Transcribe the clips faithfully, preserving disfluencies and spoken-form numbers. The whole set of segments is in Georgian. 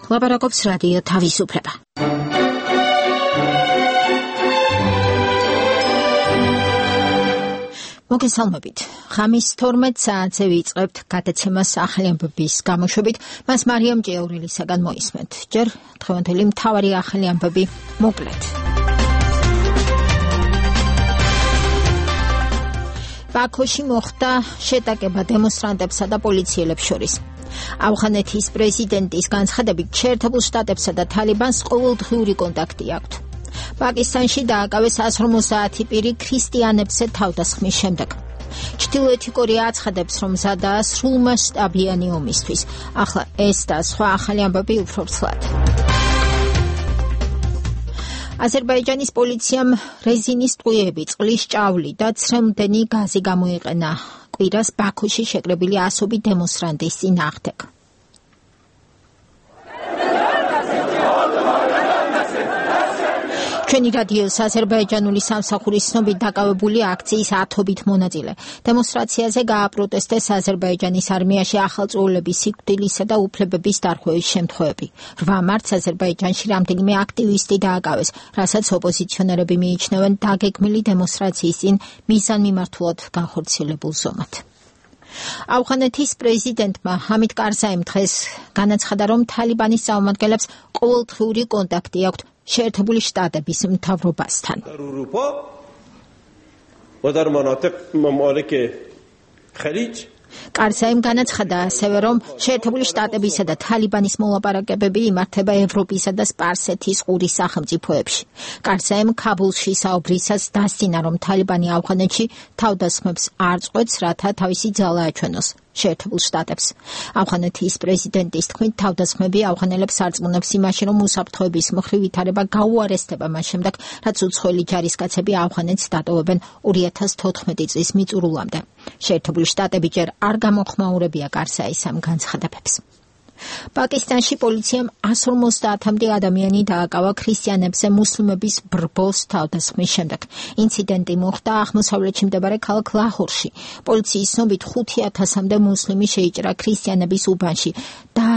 ლაპარაკობს რადიო თავისუფლება. მოგესალმებით. ხამის თორმეტ საათზე ვიწყებთ გადაცემას ახალი ამბების გამოშვებით. მას მარიამ ჭიაურელისაგან მოისმენთ. ჯერ დღევანდელი მთავარი ახალი ამბები მოკლედ. ბაქოში მოხდა შეტაკება დემონსტრანტებსა და პოლიციელებს შორის. ავღანეთის პრეზიდენტის განცხადებით, შეერთებულ შტატებსა და თალიბანს ყოველდღიური კონტაქტი აქვთ. პაკისტანში დააკავეს εκατს ორმოცდაათი პირი ქრისტიანებზე თავდასხმის შემდეგ. ჩრდილოეთი კორეა აცხადებს, რომ მზადაა სრულმასშტაბიანი ომისთვის. ახლა ეს და სხვა ახალი ამბები უფრო ცლად. აზერბაიჯანის პოლიციამ რეზინის ტყუილები, წყლის ჭავლი და ცრემლდენი გაზი გამოიყენა კვირას ბაქოში შეკრებილი ასობით დემონსტრანტის წინააღმდეგ. ჩვენი რადიოს აზერბაიჯანული სამსახურის ცნობით დაკავებული აქციის ათობით მონაწილე. დემონსტრაციაზე გააპროტესტეს აზერბაიჯანის არმიაში ახალწეულების სიკვდილისა და უფლებების დარღვევის შემთხვევები. რვა მარტს აზერბაიჯანში რამდენიმე აქტივისტი დააკავეს, რასაც ოპოზიციონერები მიიჩნევენ დაგეგმილი დემონსტრაციის წინ მიზანმიმართულად განხორციელებულ ზომად. ავღანეთის პრეზიდენტმა ჰამიდ კარზაიმ დღეს განაცხადა, რომ თალიბანის წარმომადგენლებს ყოველდღიური კონტაქტი აქვთ შეერთებული შტატების მთავრობასთან. კარზაიმ განაცხადა ასევე, რომ შეერთებული შტატებისა და თალიბანის მოლაპარაკებები იმართება ევროპისა და სპარსეთის ყურის სახელმწიფოებში. კარზაიმ ქაბულში საუბრისას დასძინა, რომ თალიბანი ავღანეთში თავდასხმებს არ წყვეტს, რათა თავისი ძალა აჩვენოს შეერთებულ შტატებს. ავღანეთის პრეზიდენტის თქმით, თავდასხმები ავღანელებს არწმუნებს იმაში, რომ უსაფრთხოების მხრივ ვითარება გაუარესდება მას შემდეგ, რაც უცხოელი ჯარისკაცები ავღანეთს დატოვებენ ორი ათას თოთხმეტი წლის მიწურულამდე. შეერთებული შტატები ჯერ არ გამოხმაურებია კარზაის ამ განცხადებებს. პაკისტანში პოლიციამ εκατს ორმოცდაათამდე ადამიანი დააკავა ქრისტიანებზე მუსლიმების ბრბოს თავდასხმის შემდეგ. ინციდენტი მოხდა აღმოსავლეთში მდებარე ქალაქ ლაჰორში. პოლიციის ცნობით ხუთი ათასამდე მუსლიმი შეიჭრა ქრისტიანების უბანში და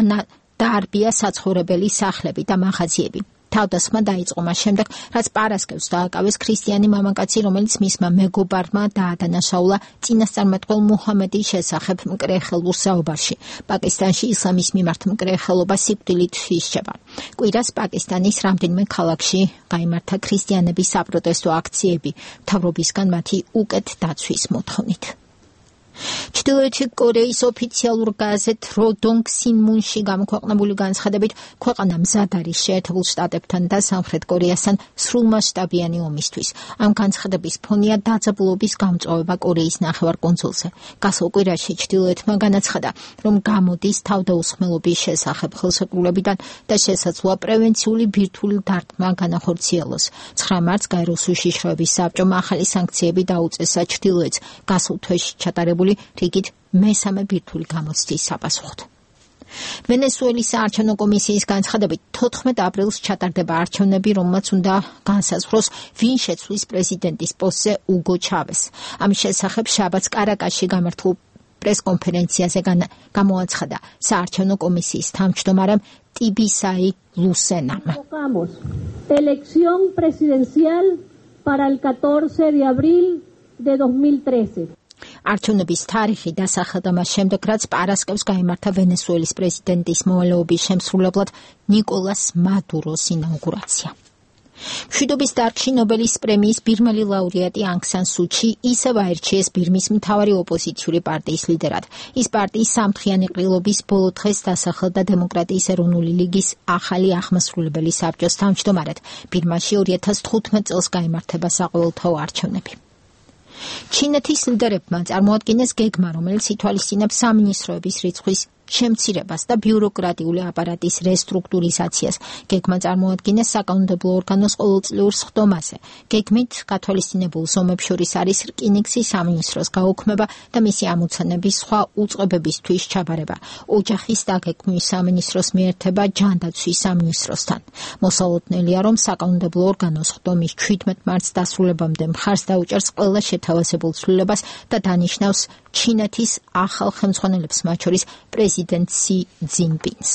დაარბია საცხოვრებელი სახლები და მაღაზიები. თავდასხმა დაიწყო მას შემდეგ, რაც პარასკევს დააკავეს ქრისტიანი მამაკაცი, რომელიც მისმა მეგობარმა დაადანაშაულა წინასწარმეტყველ მუჰამედის შესახებ მკრეხელურ საუბარში. პაკისტანში ისლამის მიმართ მკრეხელობა სიკვდილით ისჯება. კვირას პაკისტანის რამდენიმე ქალაქში გაიმართა ქრისტიანების საპროტესტო აქციები, მთავრობისგან მათი უკეთ დაცვის მოთხოვნით. ჩრდილოეთი კორეის ოფიციალურ გაზეთ როდონგ სინმუნში გამოქვეყნებული განცხადებით, ქვეყანა მზად არის შეერთებულ შტატებთან და სამხრეთ კორეასთან სრულმასშტაბიანი ომისთვის. ამ განცხადების ფონია დაძაბულობის გამწვავება კორეის ნახევარკუნძულზე. გასულ კვირაში ჩრდილოეთმა განაცხადა, რომ გამოდის თავდაუსხმელობის შესახებ ხელშეკრულებიდან და შესაძლოა პრევენციული ბირთვული დარტყმა განახორციელოს. ცხრა მარტს გაეროს უშიშროების საბჭომ ახალი სანქციები დაუწესა ჩრდილოეთს გასულ თვეში ჩატარებული რიგით მესამე ბირთვული გამოცდის საპასუხოდ. ვენესუელის საარჩევნო კომისიის განცხადებით, თოთხმეტ აპრილს ჩატარდება არჩევნები, რომელმაც უნდა განსაზღვროს, ვინ შეცვლის პრეზიდენტის პოსტზე უგო ჩავეს. ამის შესახებ შაბათს კარაკასში გამართულ პრესკონფერენციაზე გამოაცხადა საარჩევნო კომისიის თავმჯდომარემ ტიბისაი ლუსენამ. Elección presidencial para el catorce de abril de dos mil trece. არჩევნების თარიღი დასახელდა მას შემდეგ, რაც პარასკევს გაიმართა ვენესუელის პრეზიდენტის მოვალეობის შემსრულებლად ნიკოლას მადუროს ინაუგურაცია. მშვიდობის დარგში ნობელის პრემიის ბირმელი ლაურეატი ანგ სან სუ ჩი ისევ აირჩიეს ბირმის მთავარი ოპოზიციური პარტიის ლიდერად. ის პარტიის სამთხიანი ყრილობის ბოლო დღეს დასახელდა დემოკრატიის ეროვნული ლიგის ახალი აღმასრულებელი საბჭოს თავმჯდომარედ. ბირმაში ორი ათას თხუთმეტ წელს გაიმართება საყოველთაო არჩევნები. ჩინეთის ლიდერებმა წარმოადგინეს გეგმა, რომელიც ითვალისწინებს სამინისტროების რიცხვის შემცირებას და ბიუროკრატიული აპარატის რესტრუქტურიზაციას. გეგმა წარმოადგენს საკანონმდებლო ორგანოს ყოველწლიურ სხდომაზე. გეგმით გათვალისწინებულ ზომებს შორის არის რკინიგზის სამინისტროს გაუქმება და მისი ამოცანების სხვა უწყებებისთვის ჩაბარება. ოჯახის დაგეგმვის სამინისტროს მიერთება ჯანდაცვის სამინისტროსთან. მოსალოდნელია, რომ საკანონმდებლო ორგანოს სხდომის ჩვიდმეტ მარტს დასრულებამდე მხარს დაუჭერს ყველა შეთავაზებულ ცვლილებას და დანიშნავს ჩინეთის ახალ ხელმძღვანელებს, მათ შორის პრეზიდენტ სი ძინპინს.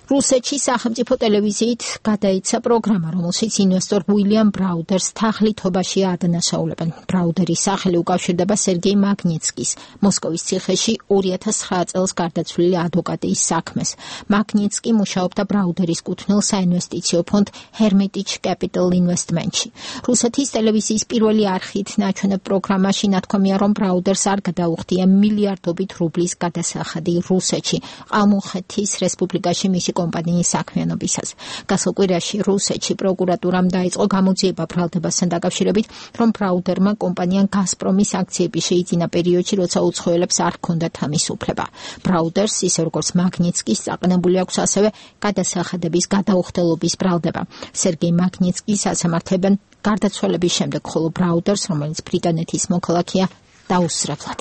რუსეთში სახელმწიფო ტელევიზიით გადაიცა პროგრამა, რომელშიც ინვესტორ უილიამ ბრაუდერს თაღლითობაში ადანაშაულებენ. ბრაუდერის სახელი უკავშირდება სერგეი მაგნიცკის, მოსკოვის ციხეში ორი ათას ცხრა წელს გარდაცვლილი ადვოკატის საქმეს. მაგნიცკი მუშაობდა ბრაუდერის კუთვნილ საინვესტიციო ფონდ Hermitage Capital Investment-ში. რუსეთის ტელევიზიის პირველი არხით ნაჩვენებ პროგრამაში ნათქვამია, რომ ბრაუდერს არ გადაუხდია მილიარდობით რუბლის გადასახადი რუსეთში, ყალმუხეთის რესპუბლიკაში მისი კომპანიის საქმიანობისას. გასულ კვირაში რუსეთში პროკურატურამ დაიწყო გამოძიება ბრალდებასთან დაკავშირებით, რომ ბრაუდერმა კომპანია გაზპრომის აქციები შეიძინა პერიოდში, როცა უცხოელებს არ ჰქონდათ ამის უფლება. ბრაუდერს, ისე როგორც მაგნიცკის, წაყენებული აქვს ასევე გადასახადების გადაუხდელობის ბრალდება. სერგეი მაგნიცკის ასამართებენ გარდაცვალების შემდეგ, ხოლო ბრაუდერს, რომელიც ბრიტანეთის მოქალაქეა, დაუსწრებლად.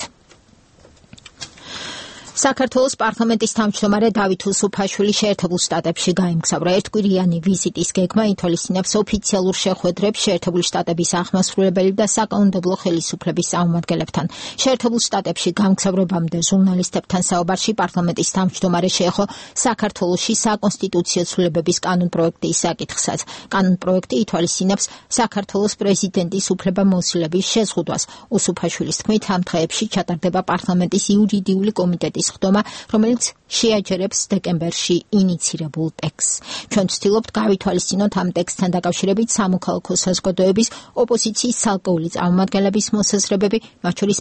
საქართველოს პარლამენტის თავმჯდომარე დავით უსუფაშვილი შეერთებულ შტატებში გაემგზავრა. ერთკვირიანი ვიზიტის გეგმა ითვალისწინებს ოფიციალურ შეხვედრებს შეერთებული შტატების აღმასრულებელი და საკანონმდებლო ხელისუფლების წარმომადგენლებთან. შეერთებულ შტატებში გამგზავრებამდე ჟურნალისტებთან საუბარში პარლამენტის თავმჯდომარე შეეხო საქართველოში საკონსტიტუციო ცვლილებების კანონპროექტის საკითხსაც. კანონპროექტი ითვალისწინებს საქართველოს პრეზიდენტის უფლებამოსილების შეზღუდვას. უსუფაშვილის თქმით, ამ დღეებში ჩატარდება პარლამენტის იურიდიული კომიტეტის ხდომა, რომელიც შეაჯერებს დეკემბერში ინიცირებულ ტექსტს. ჩვენ ვცდილობთ გავითვალისწინოთ ამ ტექსტთან დაკავშირებით სამოქალაქო საზოგადოების, ოპოზიციის ცალკეული წარმომადგენლების მოსაზრებები, მათ შორის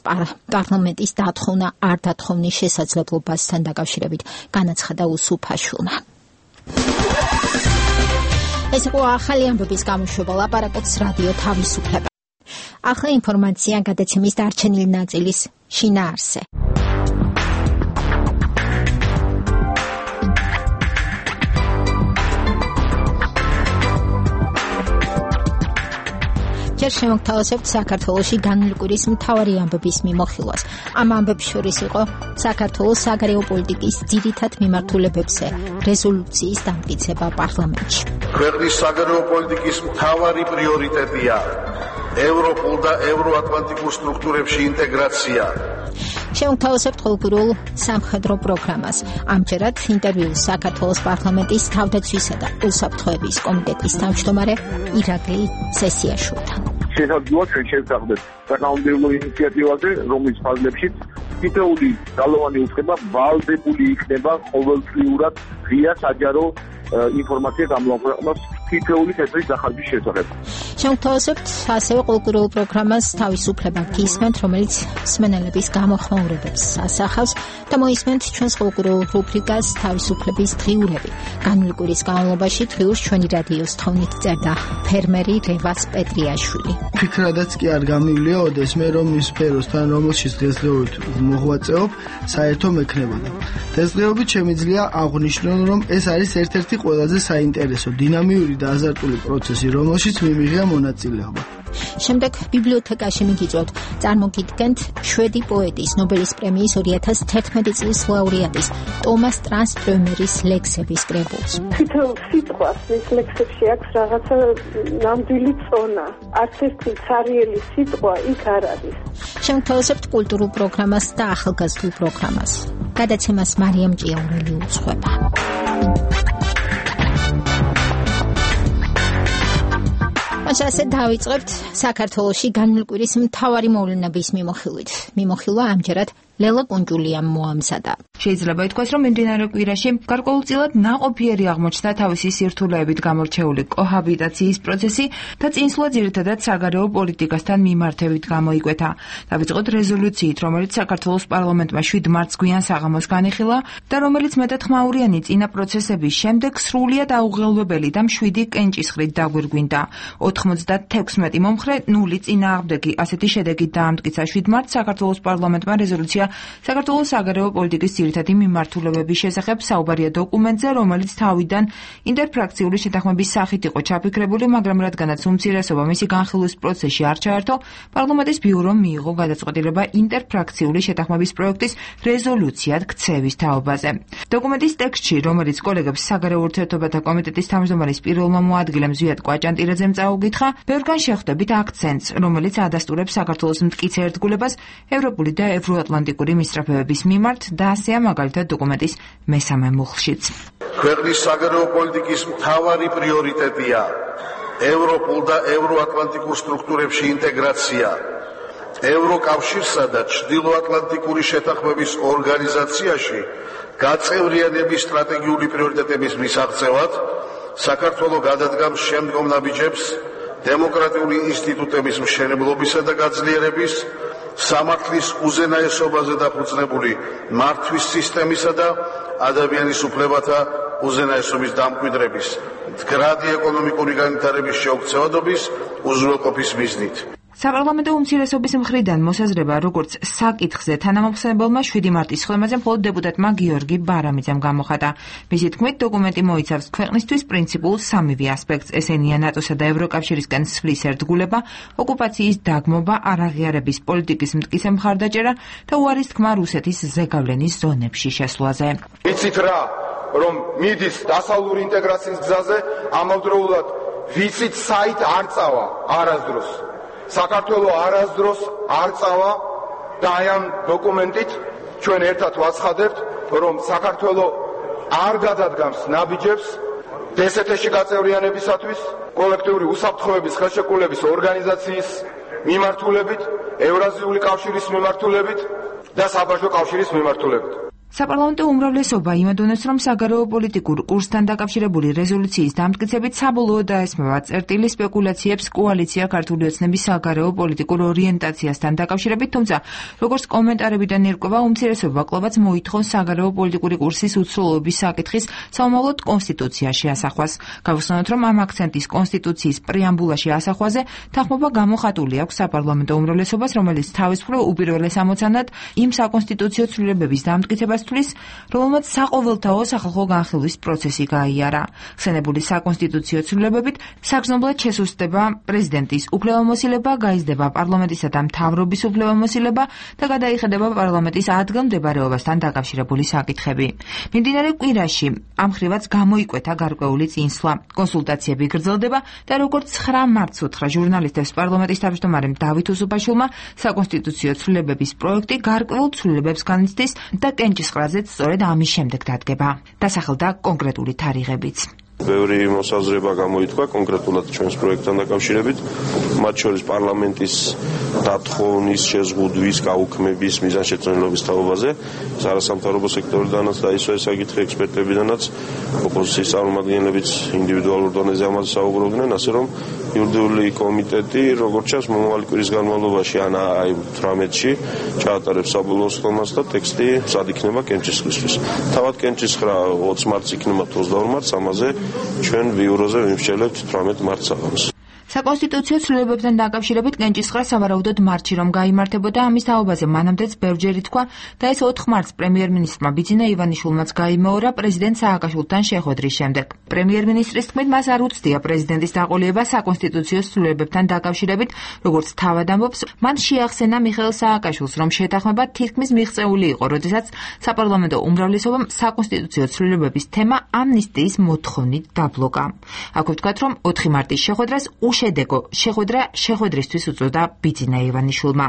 პარლამენტის დათხოვნა არ დათხოვნის შესაძლებლობასთან დაკავშირებით, განაცხადა უსუფაშვილმა. ეს იყო ახალი ამბების გამოშვება ლაპარაკობს რადიო თავისუფლება. ახლა ინფორმაცია გადაცემის დარჩენილი ნაწილის შინაარსზე. ჯერ შემოგთავაზებთ საქართველოში განვლილი კვირის მთავარი ამბების მიმოხილვას. ამ ამბებს შორის იყო საქართველოს საგარეო პოლიტიკის ძირითად მიმართულებებზე რეზოლუციის დამტკიცება პარლამენტში. ქვეყნის საგარეო პოლიტიკის მთავარი პრიორიტეტია ევროპულ და ევროატლანტიკურ სტრუქტურებში ინტეგრაცია. შემოგთავაზებთ ყოველკვირეულ სამხედრო პროგრამას. ამჯერად ინტერვიუ საქართველოს პარლამენტის თავდაცვისა და უსაფრთხოების კომიტეტის თავმჯდომარე ირაკლი სესიაშვილთან. შესაძლოა ჩვენ შევწყვეტ საკანონმდებლო ინიციატივაზე, რომლის ფარგლებშიც თითოეული ძალოვანი უწყება ვალდებული იქნება ყოველწლიურად ღია საჯარო ინფორმაცია გამოაქვეყნოს თითოეული თეთრი სახარჯის შესახებ. შემოგთავაზებთ ასევე ყოველკვირეულ პროგრამას თავისუფლება გისმენთ, რომელიც მსმენელების გამოხმაურებებს ასახავს და მოისმენთ ჩვენს ყოველკვირეულ რუბრიკას თავისუფლების დღიურები. განვლილი კვირის განმავლობაში დღიურს ჩვენი რადიოს თხოვნით წერდა ფერმერი რევას პეტრიაშვილი. ფიქრადაც კი არ გამივლია ოდეს მე რომ ის სფეროსთან რომელშიც დღესდღეობით მოღვაწეობ საერთო მექნებოდა. დღესდღეობით შემიძლია აღვნიშნო, რომ ეს არის ერთ-ერთი ყველაზე საინტერესო დინამიური და აზარტული პროცესი, რომელშიც მიმიღია მონაწილეობა. შემდეგ ბიბლიოთეკაში მიგიწვევთ წარმოგიდგენთ შვედი პოეტის ნობელის პრემიის ორი ათას თერთმეტი წლის ლაურეატის ტომას ტრანსტრემერის ლექსების კრებულს. თითოეულ სიტყვას მის ლექსებში აქვს რაღაცა ნამდვილი წონა. არც ერთი ცარიელი სიტყვა იქ არ არის. შემოგთავაზებთ კულტურულ პროგრამას და ახალგაზრდულ პროგრამას. გადაცემას მარიამ ჭიაურელი უძღვება. ასე დავიწყებთ საქართველოში განვლილი კვირის მთავარი მოვლენების მიმოხილვით. მიმოხილვა ამჯერად ლელა კუნჯულიამ მოამზადა. შეიძლება ითქვას, რომ მიმდინარე კვირაში გარკვეულწილად ნაყოფიერი აღმოჩნდა თავისი სირთულეებით გამორჩეული კოჰაბიტაციის პროცესი და წინსვლა ძირითადად საგარეო პოლიტიკასთან მიმართებით გამოიკვეთა. დავიწყოთ რეზოლუციით, რომელიც საქართველოს პარლამენტმა შვიდ მარტს გვიან საღამოს განიხილა და რომელიც მეტათხმაურიანი წინა პროცესების შემდეგ სრულიად აუღელვებელი და მშვიდი კენჭისყრით დაგვირგვინდა. ოთხმოცდათექვსმეტი მომხრე, ნული წინააღმდეგი. ასეთი შედეგით დაამტკიცა შვიდ მარტს საქართველოს პარლამენტმა რეზოლუცია საქართველოს საგარეო პოლიტიკის ძირითადი მიმართულებების შესახებ საუბარია დოკუმენტზე, რომელიც თავიდან ინტერფრაქციული შეთანხმების სახით იყო ჩაფიქრებული, მაგრამ რადგანაც უმცირესობა მისი განხილვის პროცესში არ ჩაერთო, პარლამენტის ბიურომ მიიღო გადაწყვეტილება ინტერფრაქციული შეთანხმების პროექტის რეზოლუციად ქცევის თაობაზე. დოკუმენტის ტექსტში, რომელიც კოლეგებს საგარეო ურთიერთობათა კომიტეტის თავმჯდომარის პირველმა მოადგილემ ზვიად კვაჭანტირაძემ წაუგითხა, ბევრგან შეხვდებით აქცენტს, რომელიც ადასტურებს საქართველოს მტკიცე ერთგულებას ევროპული და ევროატლანტიკური პოლიტიკური მისწრაფებების მიმართ და ასეა მაგალითად დოკუმენტის მესამე მუხლშიც. ქვეყნის საგარეო პოლიტიკის მთავარი პრიორიტეტია ევროპულ და ევროატლანტიკურ სტრუქტურებში ინტეგრაცია. ევროკავშირსა და ჩრდილოატლანტიკური შეთანხმების ორგანიზაციაში გაწევრიანების სტრატეგიული პრიორიტეტების მისაღწევად საქართველო გადადგამს შემდგომ ნაბიჯებს დემოკრატიული ინსტიტუტების მშენებლობისა და გაძლიერების, სამართლის უზენაესობაზე დაფუძნებული მართვის სისტემისა და ადამიანის უფლებათა უზენაესობის დამკვიდრების, მდგრადი ეკონომიკური განვითარების შეუქცევადობის უზრუნველყოფის მიზნით. საპარლამენტო უმცირესობის მხრიდან მოსაზრება, როგორც საკითხზე თანამოხსენებელმა შვიდი მარტის ხელმაზე მხოლოდ დეპუტატმა გიორგი ბარამიძემ გამოხატა. მისი თქმით, დოკუმენტი მოიცავს ქვეყნისთვის პრინციპულ სამივე ასპექტს, ესენია ნატოსა და ევროკავშირისკენ სვლის ერთგულება, ოკუპაციის დაგმობა, არაღიარების პოლიტიკის მტკიცე მხარდაჭერა და უარის თქმა რუსეთის ზეგავლენის ზონებში შესვლაზე. ვიცით რა, რომ მიდის დასავლური ინტეგრაციის გზაზე, ამავდროულად ვიცით საით არ წავა არასდროს. საქართველო არასდროს არ წავა და აი ამ დოკუმენტით ჩვენ ერთად ვაცხადებთ, რომ საქართველო არ გადადგამს ნაბიჯებს დსთ-ში გაწევრიანებისათვის, კოლექტიური უსაფრთხოების ხელშეკრულების ორგანიზაციის მიმართულებით, ევრაზიული კავშირის მიმართულებით და საბაჟო კავშირის მიმართულებით. საპარლამენტო უმრავლესობა იმედოვნებს, რომ საგარეო პოლიტიკურ კურსთან დაკავშირებული რეზოლუციის დამტკიცებით საბოლოოდ დაესმევა წერტილი სპეკულაციებს კოალიცია ქართული ოცნების საგარეო პოლიტიკურ ორიენტაციასთან დაკავშირებით, თუმცა როგორც კომენტარებიდან ირკვევა, უმცირესობა კლუბაც მოითხოვს საგარეო პოლიტიკური კურსის უცვლელობის საკითხის საომავლოდ კონსტიტუციაში ასახვას. გავხსენოთ, რომ ამ აქცენტის კონსტიტუციის პრეამბულაში ასახვაზე თანხმობა გამოხატული აქვს საპარლამენტო უმრავლესობას, რომელიც თავის მხრივ უპირველეს ამოცანად იმ საკონსტიტუციო ცვლილებების დამტკიცებას თulis, რომელმაც საყოველთაო სახალხო განხილვის პროცესი გაიარა. ხსენებული საკონსტიტუციო ცვლილებებით საგრძნობლად შესუსტება პრეზიდენტის უფლებამოსილება, გაიზრდება პარლამენტისა და მთავრობის უფლებამოსილება და გადაიხედება პარლამენტის ადგილმდებარეობასთან დაკავშირებული საკითხები. მიმდინარე კვირაში ამ ხრივაც გამოიკვეთა გარკვეული წინსვლა. კონსულტაციები გრძელდება და როგორც ცხრა მარტს უთხრა ჟურნალისტებს პარლამენტის თავმჯდომარემ დავით უსუფაშვილმა, საკონსტიტუციო ცვლილებების პროექტი გარკვეულ ცვლილებებს განიცდის და კენჭის ყრაზეც სწორედ ამის შემდეგ დადგება. დასახელდა კონკრეტული თარიღებიც. ბევრი მოსაზრება გამოითქვა კონკრეტულად ჩვენს პროექტთან დაკავშირებით, მათ შორის პარლამენტის დათხოვნის, შეზღუდვის, გაუქმების, მიზანშეწონილობის თაობაზე, არასამთავრობო სექტორიდანაც და ისე საკითხი ექსპერტებიდანაც, ოპოზიციის წარმომადგენლებიც ინდივიდუალურ დონეზე ამაზე საუბრობდნენ, ასე რომ იურიდიული კომიტეტი, როგორც ჩანს, მომავალი კვირის განმავლობაში ან აი თვრამეტში ჩაატარებს საბოლოო სხდომას და ტექსტი მზად იქნება კენჭისყრისთვის. თავად კენჭისყრა ოცი მარტს იქნება თუ ოცდაორი მარტს, ამაზე ჩვენ ბიუროზე ვიმსჯელებთ თვრამეტ მარტს საღამოს. საკონსტიტუციო ცვლილებებთან დაკავშირებით კენჭისყრა სავარაუდოდ მარტში რომ გაიმართებოდა, ამის თაობაზე მანამდეც ბევრჯერ ითქვა და ეს ოთხ მარტს პრემიერ-მინისტრმა ბიძინა ივანიშვილმაც გაიმეორა პრეზიდენტ სააკაშვილთან შეხვედრის შემდეგ. პრემიერ-მინისტრის თქმით, მას არ უცდია პრეზიდენტის დაყოლება საკონსტიტუციო ცვლილებებთან დაკავშირებით, როგორც თავად ამბობს, მან შეახსენა მიხეილ სააკაშვილს, რომ შეთანხმება თითქმის მიღწეული იყო, როდესაც საპარლამენტო უმრავლესობამ საკონსტიტუციო ცვლილებების თემა ამნისტიის მოთხოვნით დაბლოკა. აქ ვთქვათ, რომ ოთხი მარტის შეხვედრას შედეგო შეხვედრა შეხვედრისთვის უწოდა ბიძინა ივანიშვილმა.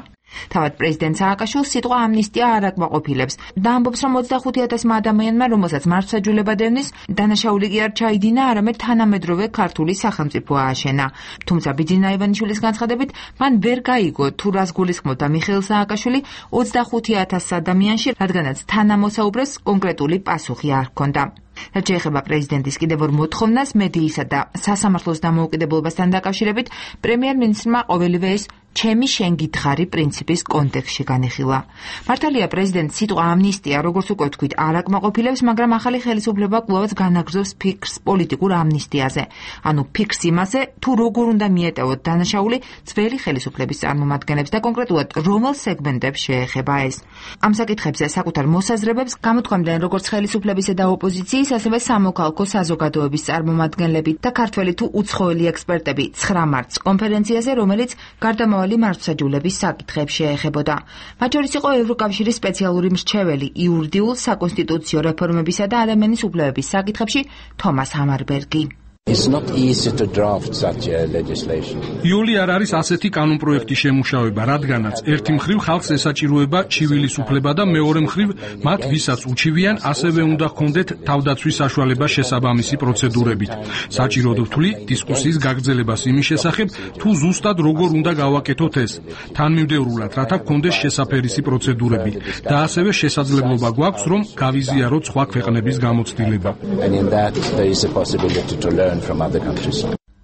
თავად პრეზიდენტ სააკაშვილს სიტყვა ამნისტია არ აკმაყოფილებს და ამბობს, რომ ოცდახუთი ათასმა ადამიანმა, რომელსაც მართლმსაჯულება დევნის, დანაშაული კი არ ჩაიდინა, არამედ თანამედროვე ქართული სახელმწიფო ააშენა. თუმცა ბიძინა ივანიშვილის განცხადებით, მან ვერ გაიგო თუ რას გულისხმობდა მიხეილ სააკაშვილი ოცდახუთი ათას ადამიანში, რადგანაც თანამოსაუბრეს კონკრეტული პასუხი არ ჰქონდა. რაც შეეხება პრეზიდენტის კიდევ ორ მოთხოვნას მედიისა და სასამართლოს დამოუკიდებლობასთან დაკავშირებით, პრემიერ-მინისტრმა ყოველივე ეს ჩემი შენ გითხარი პრინციპის კონტექსტში განიხილა. მართალია პრეზიდენტ სიტყვა ამნისტია, როგორც უკვე ვთქვით, არ აკმაყოფილებს, მაგრამ ახალი ხელისუფლება კვლავაც განაგრძობს ფიქრს პოლიტიკურ ამნისტიაზე. ანუ ფიქრს იმაზე, თუ როგორ უნდა მიეტევოთ დანაშაული ძველი ხელისუფლების წარმომადგენლებს და კონკრეტულად რომელ სეგმენტებს შეეხება ეს. ამ საკითხებზე საკუთარ მოსაზრებებს გამოთქვამდნენ როგორც ხელისუფლებისა და ოპოზიციის, ასევე სამოქალაქო საზოგადოების წარმომადგენლები და ქართველი თუ უცხოელი ექსპერტები ცხრა მარტს კონფერენციაზე, რომელიც გარდამავალ მართლმსაჯულების საკითხებს შეეხებოდა. მათ შორის იყო ევროკავშირის სპეციალური მრჩეველი იურიდიულ, საკონსტიტუციო რეფორმებისა და ადამიანის უფლებების საკითხებში თომას ჰამარბერგი. It's not easy to draft such a legislation. იოლი არ არის ასეთი კანონპროექტის შემუშავება, რადგანაც ერთი მხრივ ხალხს ესაჭიროება ჩივილის უფლება და მეორე მხრივ მათ ვისაც უჩივიან, ასევე უნდა ჰქონდეთ თავდაცვის საშუალება შესაბამისი პროცედურებით. საჭიროდ ვთვლი დისკუსიის გაგრძელებას იმის შესახებ, თუ ზუსტად როგორ უნდა გავაკეთოთ ეს, თანმიმდევრულად, რათა ჰქონდეს შესაფერისი პროცედურები და ასევე შესაძლებლობა გვაქვს, რომ გავიზიაროთ სხვა ქვეყნების გამოცდილება. And in that there is a possibility to learn from other countries.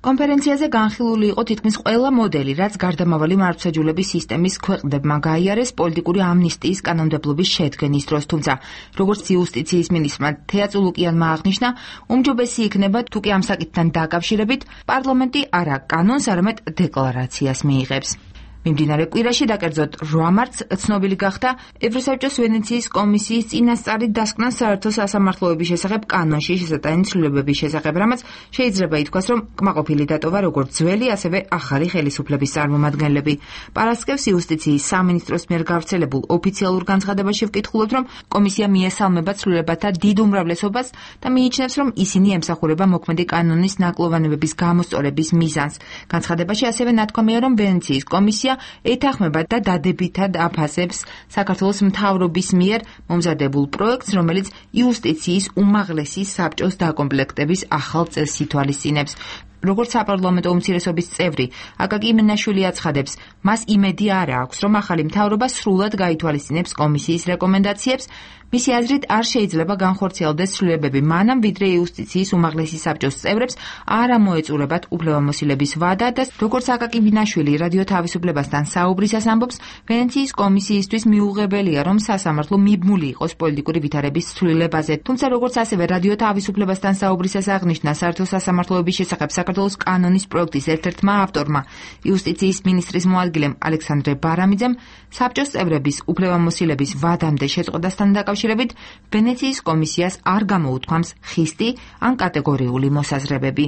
კონფერენციაზე განხილული იყო თითქმის ყველა მოდელი, რაც გარდამავალი მართლმსაჯულების სისტემის ქვეყნებმა გაიარეს პოლიტიკური ამნისტიის კანონმდებლობის შედგენის დროს, თუმცა როგორც იუსტიციის მინისტრმა თეა წულუკიანმა აღნიშნა, უმჯობესი იქნება თუ კი ამ საკითხთან დაკავშირებით პარლამენტი არა კანონს, არამედ დეკლარაციას მიიღებს. მიმდინარე კვირაში და კერძოდ რვა მარტს ცნობილი გახდა ევროსაბჭოს ვენეციის კომისიის წინასწარი დასკვნა საერთო სასამართლოების შესახებ კანონში შესატანი ცვლილებების შესახებ, რამაც შეიძლება ითქვას, რომ კმაყოფილი დატოვა როგორც ძველი, ასევე ახალი ხელისუფლების წარმომადგენლები. პარასკევს იუსტიციის სამინისტროს მიერ გავრცელებულ ოფიციალურ განცხადებაში ვკითხულობთ, რომ კომისია მიესალმება ცვლილებათა დიდ უმრავლესობას და მიიჩნევს, რომ ისინი ემსახურება მოქმედი კანონის ნაკლოვანებების გამოსწორების მიზანს. განცხადებაში ასევე ნათქვამია, რომ ვენეციის კომისია ეთანხმება და დადებითად აფასებს საქართველოს მთავრობის მიერ მომზადებულ პროექტს, რომელიც იუსტიციის უმაღლესი საბჭოს დაკომპლექტების ახალ წესს ითვალისწინებს. როგორც საპარლამენტო უმცირესობის წევრი აკაკი იმენაშვილი აცხადებს, მას იმედი არ აქვს, რომ ახალი მთავრობა სრულად გაითვალისწინებს კომისიის რეკომენდაციებს. მისი აზრით არ შეიძლება განხორციელდეს ცვლილებები მანამ, ვიდრე იუსტიციის უმაღლესი საბჭოს წევრებს არ ამოეწურებათ უფლებამოსილების ვადა და როგორც აკაკი იმენაშვილი რადიო თავისუფლებასთან საუბრისას ამბობს, ვენეციის კომისიისთვის მიუღებელია, რომ სასამართლო მიბმული იყოს პოლიტიკური ვითარების ცვლილებაზე. თუმცა როგორც ასევე რადიო თავისუფლებასთან საუბრისას აღნიშნა საერთო სასამართლოების შესახებ საქართველოს კანონის პროექტის ერთ-ერთმა ავტორმა, იუსტიციის მინისტრის მოადგილემ ალექსანდრე ბარამიძემ, საბჭოს წევრების უფლებამოსილების ვადამდე შეწყვეტასთან დაკავშირებით ვენეციის კომისიას არ გამოუთქვამს ხისტი ან კატეგორიული მოსაზრებები.